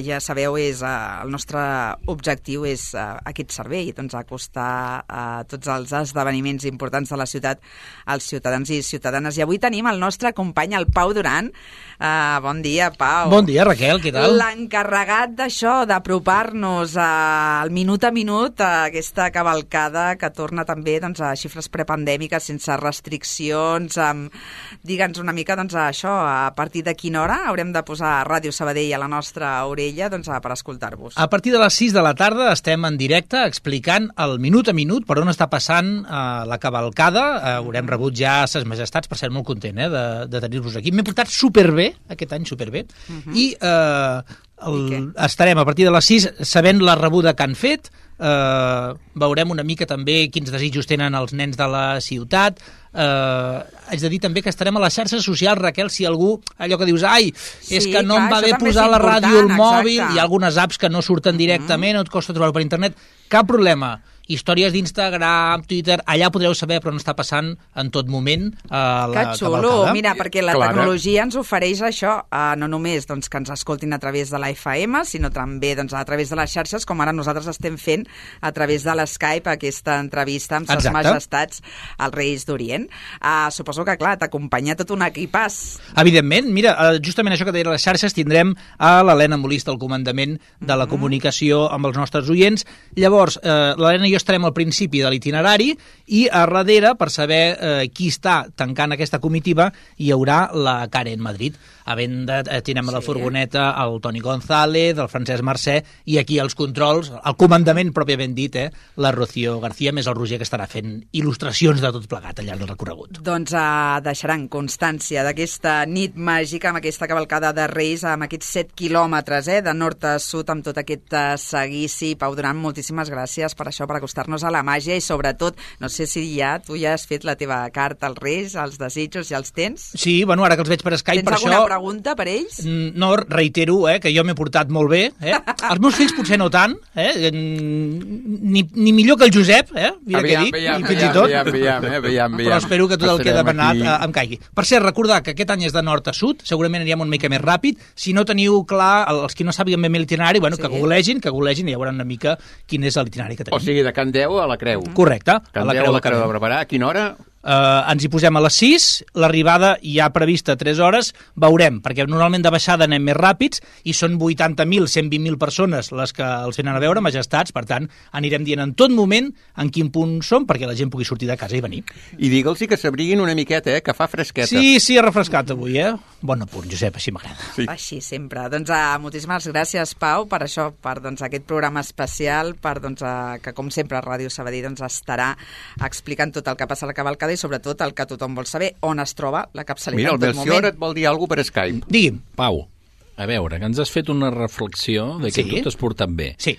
ja sabeu, el nostre objectiu és aquest servei, acostar tots els esdeveniments importants de la ciutat als ciutadans i ciutadanes. I avui tenim el nostre company, el Pau Duran. Bon dia, Pau. Bon dia, Raquel, què tal? L'encarregat d'això, d'apropar-nos al minut a minut a aquesta cavalcada que torna també a xifres prepandèmiques, sense restriccions. Digue'ns una mica això, a partir de quina hora haurem de posar Ràdio Sabadell a la nostra orella per escoltar-vos. A partir de les 6 de la tarda estem en directe explicant el minut a minut per on està passant la cavalcada. Haurem rebut ja ses majestats, per ser molt content de tenir-vos aquí. M'he portat superbé, aquest any superbé, i estarem a partir de les 6 sabent la rebuda que han fet. Veurem una mica també quins desitjos tenen els nens de la ciutat. Haig de dir també que estarem a les xarxes socials, Raquel, si algú, allò que dius, és que no em va bé posar la ràdio al mòbil, hi ha algunes apps que no surten directament, no et costa trobar-ho per internet, cap problema. Històries d'Instagram, Twitter, allà podreu saber per on està passant en tot moment la cavalcada. Que xulo, mira, perquè la tecnologia ens ofereix això, no només que ens escoltin a través de la FM, sinó també a través de les xarxes, com ara nosaltres estem fent a través de l'Skype, aquesta entrevista amb ses majestats als Reis d'Orient. Suposo que, clar, t'acompanya tot un equipàs. Evidentment, mira, justament això que deia les xarxes, tindrem a l'Helena Molist, el comandament de la comunicació amb els nostres oients. Llavors, l'Helena i jo estarem al principi de l'itinerari i a darrere, per saber qui està tancant aquesta comitiva, hi haurà la Karen Madrid. A venda tindrem a la furgoneta el Toni González, el Francesc Mercè, i aquí els controls, el comandament pròpiament dit, la Rocío García, més el Roger, que estarà fent il·lustracions de tot plegat al llarg del recorregut. Doncs deixaran constància d'aquesta nit màgica, amb aquesta cavalcada de Reis, amb aquests 7 quilòmetres de nord a sud, amb tot aquest seguici. Pau Duran, moltíssimes gràcies per això, per acostar-nos a la màgia i sobretot, no sé si tu ja has fet la teva carta als Reis, els desitjos, ja els tens? Sí, bueno, ara que els veig per Skype, per això... Tens alguna pregunta per ells? No, reitero, que jo m'he portat molt bé. Els meus fills potser no tant, ni millor que el Josep, mira què dic, fins i tot. Però espero que tot el que he demanat em caigui. Per cert, recordar que aquest any és de nord a sud, segurament anirem una mica més ràpid. Si no teniu clar, els que no sàpiguen ben bé l'itinerari, que googlegin i ja veuran una mica quin és l'itinerari que tenim. O sigui, de Can Deu a la Creu. Correcte. Can Deu a la Creu de Barberà. A quina hora? Ens hi posem a les 6, l'arribada ja prevista 3 hores, veurem, perquè normalment de baixada anem més ràpids i són 80.000, 120.000 persones les que els venen a veure, majestats, per tant, anirem dient en tot moment en quin punt som perquè la gent pugui sortir de casa i venir. I digue'ls que s'abriguin una miqueta, que fa fresqueta. Sí, ha refrescat avui, Bon apunt, Josep, així m'agrada. Sí. Així sempre. Doncs moltíssimes gràcies, Pau, per això, per aquest programa especial, que com sempre Ràdio Sabadell estarà explicant tot el que passa a la cavalcada i sobretot el que tothom vol saber, on es troba la capçalera en tot moment. Mira, el Melcior et vol dir alguna cosa per Skype. Digui'm. Pau, a veure, que ens has fet una reflexió de que tu t'has portat bé. Sí.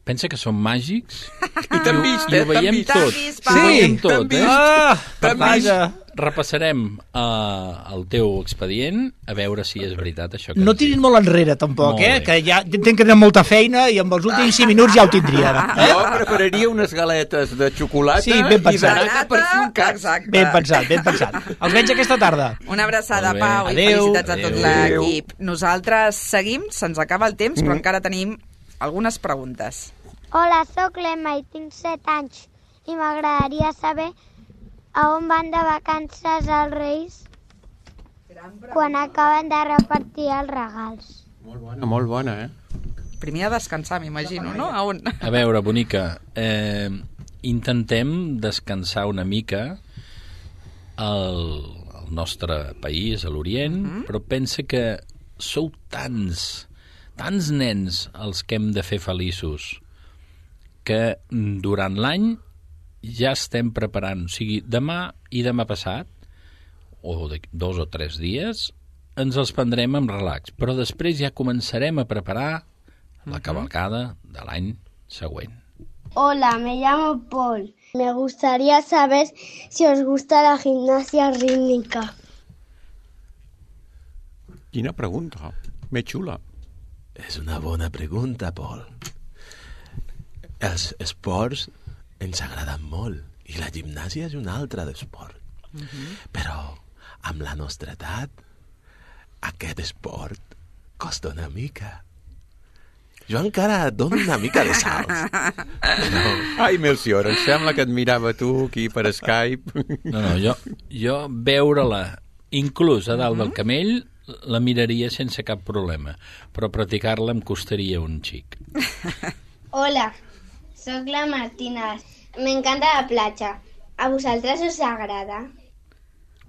pensa que són màgics I t'han vist, i ho veiem tot. Pau. Ho veiem tot, T'han vist. Per T'han vist. tant, repassarem el teu expedient a veure si és veritat això que No ens tirin dius. molt enrere, tampoc, Molt bé. que ja entenc que tenen molta feina i amb els últims 5 minuts ja ho tindrien. Jo prepararia unes galetes de xocolata Sí, ben i pensat. d'anar per fer un cas. Exacte. Ben pensat, ben pensat. Els veig aquesta tarda. Una abraçada, Molt bé. Pau, i Adéu. felicitats a tot Adéu. l'equip. Nosaltres seguim, se'ns acaba el temps, però encara tenim algunes preguntes. Hola, sóc l'Emma i tinc 7 anys i m'agradaria saber a on van de vacances els Reis quan acaben de repartir els regals. Molt bona, Primer a descansar, m'imagino, no? A on? A veure, bonica, intentem descansar una mica al nostre país, a l'Orient, però pensa que sou tants nens els que hem de fer feliços que durant l'any ja estem preparant, o sigui, demà i demà passat, o de 2 o 3 dies, ens els prendrem amb relax, però després ja començarem a preparar la cavalcada de l'any següent. Hola, me llamo Paul. Me gustaría saber si os gusta la gimnasia rítmica. Quina pregunta, més xula. És una bona pregunta, Paul. Els esports ens agraden molt i la gimnàsia és un altre d'esport. Però amb la nostra edat aquest esport costa una mica. Jo encara dono una mica de salts. Però... Ai, Melcior, em sembla que et mirava tu aquí per Skype. No, jo veure-la inclús a dalt del camell la miraria sense cap problema, però practicar-la em costaria un xic. Hola, sóc la Martina. M'encanta la platja. A vosaltres us agrada?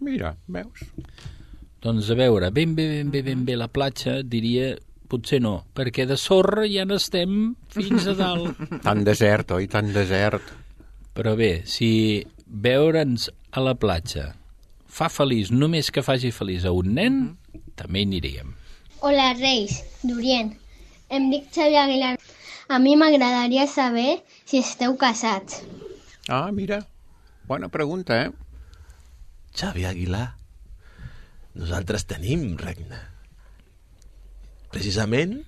Mira, veus? Doncs a veure, ben bé la platja, diria, potser no, perquè de sorra ja n'estem fins a dalt. Tan desert, oi? Tan desert. Però bé, si veure'ns a la platja fa feliç, només que faci feliç a un nen, també hi aniríem. Hola, Reis, d'Orient. Em dic Xavi Aguilar. A mi m'agradaria saber si esteu casats. Ah, mira, bona pregunta, Xavi Aguilar, nosaltres tenim regne. Precisament,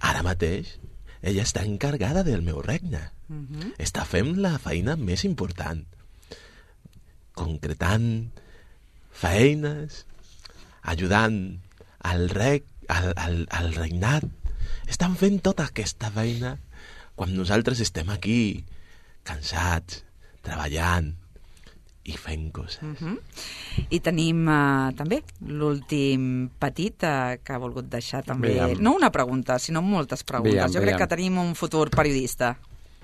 ara mateix, ella està encarregada del meu regne. Està fent la feina més important. Concretant feines, ajudant al regnat. Estan fent tota aquesta feina quan nosaltres estem aquí, cansats, treballant i fent coses. I tenim també l'últim petit que ha volgut deixar també, no una pregunta, sinó moltes preguntes. Jo crec que tenim un futur periodista.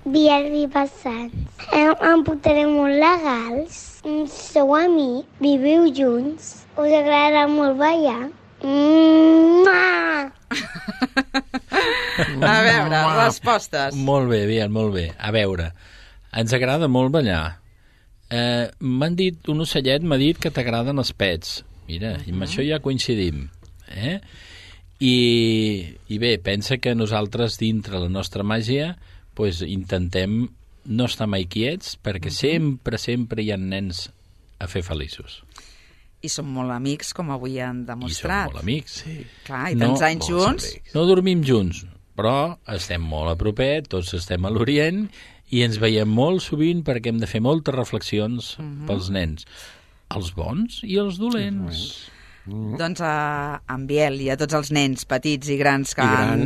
Biel passants. Em portaré molt legals. Sou amics, viviu junts. Us agradarà molt ballar. A veure, respostes. Molt bé, Biel, molt bé. A veure, ens agrada molt ballar. M'han dit, un ocellet m'ha dit que t'agraden els pets. Mira, i amb això ja coincidim. I bé, pensa que nosaltres dintre la nostra màgia pues, intentem no estar mai quiets perquè sempre hi ha nens a fer feliços. I som molt amics, com avui han demostrat. I som molt amics, sí. Clar, i tants anys junts. No dormim junts, però estem molt a propet, tots estem a l'Orient i ens veiem molt sovint perquè hem de fer moltes reflexions pels nens, els bons i els dolents. Doncs a en Biel i a tots els nens petits i grans que han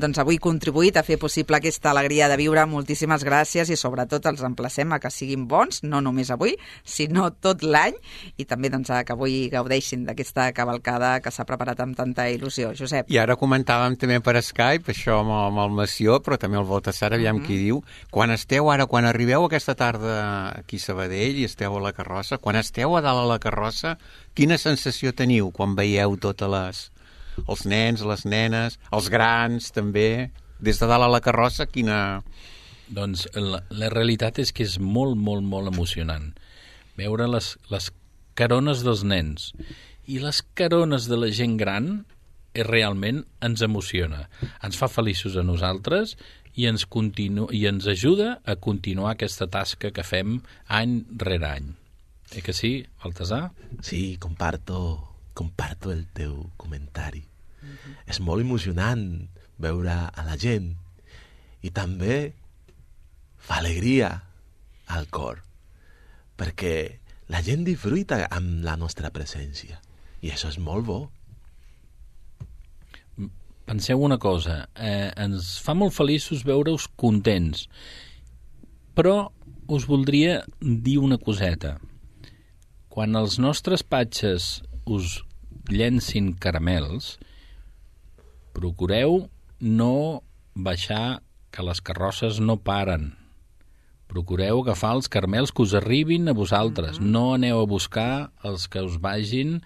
doncs, avui contribuït a fer possible aquesta alegria de viure, moltíssimes gràcies i sobretot els emplacem a que siguin bons, no només avui, sinó tot l'any i també doncs, a que avui gaudeixin d'aquesta cavalcada que s'ha preparat amb tanta il·lusió. Josep. I ara comentàvem també per Skype, això amb el Mació, però també el Baltasar, aviam qui diu, quan arribeu aquesta tarda aquí a Sabadell i esteu a la carrossa, quan esteu a dalt a la carrossa, quina sensació teniu quan veieu totes els nens, les nenes, els grans també, des de dalt a la carrossa, quina... Doncs la realitat és que és molt, molt, molt emocionant veure les carones dels nens i les carones de la gent gran realment ens emociona. Ens fa feliços a nosaltres i ens ajuda a continuar aquesta tasca que fem any rere any. Que sí, Baltasar? Sí, comparto el teu comentari. És molt emocionant veure a la gent i també fa alegria al cor, perquè la gent disfruta amb la nostra presència i això és molt bo. Penseu una cosa, ens fa molt feliços veure-us contents, però us voldria dir una coseta. Quan els nostres patges us llencin caramels, procureu no baixar, que les carrosses no paren. Procureu agafar els caramels que us arribin a vosaltres. No aneu a buscar els que us vagin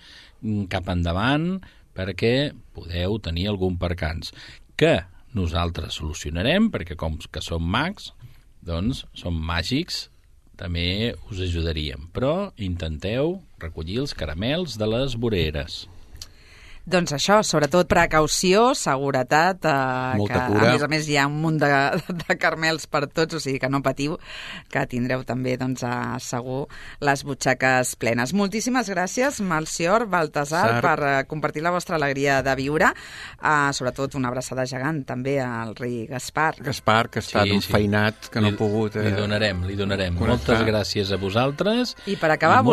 cap endavant perquè podeu tenir algun percans. Que nosaltres solucionarem, perquè com que som mags, doncs som màgics, també us ajudaríem. Però intenteu recollir els caramels de les voreres. Doncs això, sobretot precaució, seguretat, molta que cura. a més hi ha un munt de caramels per tots, o sigui que no patiu, que tindreu també doncs, segur les butxaques plenes. Moltíssimes gràcies, Melcior, Baltasar, per compartir la vostra alegria de viure, sobretot una abraçada gegant també al rei Gaspar. Gaspar, que està enfeinat, que no ha pogut... Li donarem. Moltes gràcies a vosaltres. I per acabar,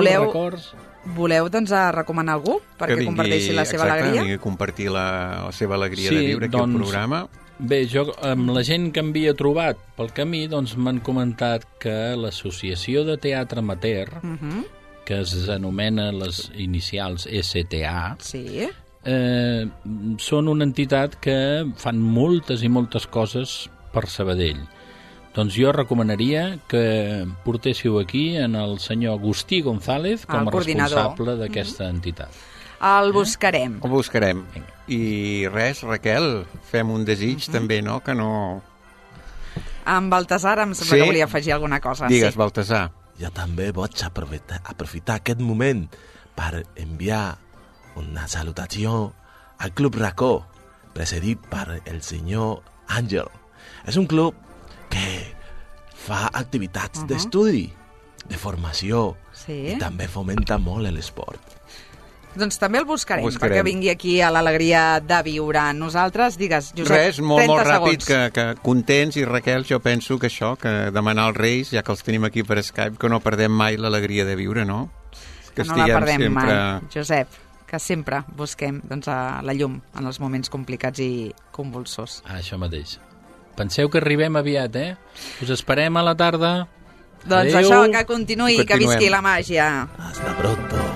voleu doncs, recomanar algú perquè comparteixi la seva alegria? Vingui a compartir la seva alegria de viure aquí al programa. Bé, jo amb la gent que m'havia trobat pel camí doncs m'han comentat que l'Associació de Teatre Amateur, que es anomena les inicials STA, són una entitat que fan moltes i moltes coses per Sabadell. Doncs jo recomanaria que portéssiu aquí en el senyor Agustí González com a responsable d'aquesta entitat. El buscarem. El buscarem. I res, Raquel, fem un desig també, no? Que no... Amb Baltasar em sembla que volia afegir alguna cosa. Digues, Baltasar. Jo també vaig aprofitar aquest moment per enviar una salutació al Club Racó, presidit per el senyor Àngel. És un club que fa activitats d'estudi, de formació, i també fomenta molt l'esport. Doncs també el buscarem, perquè vingui aquí a l'alegria de viure. Nosaltres, digues, Josep, res, molt ràpid, segons. que contents, i Raquel, jo penso que això, que demanar als Reis, ja que els tenim aquí per Skype, que no perdem mai l'alegria de viure, no? Que no la perdem mai, Josep, que sempre busquem doncs, la llum en els moments complicats i convulsors. Això mateix. Penseu que arribem aviat, Us esperem a la tarda. Doncs això, que continuï, que visqui la màgia. Hasta pronto.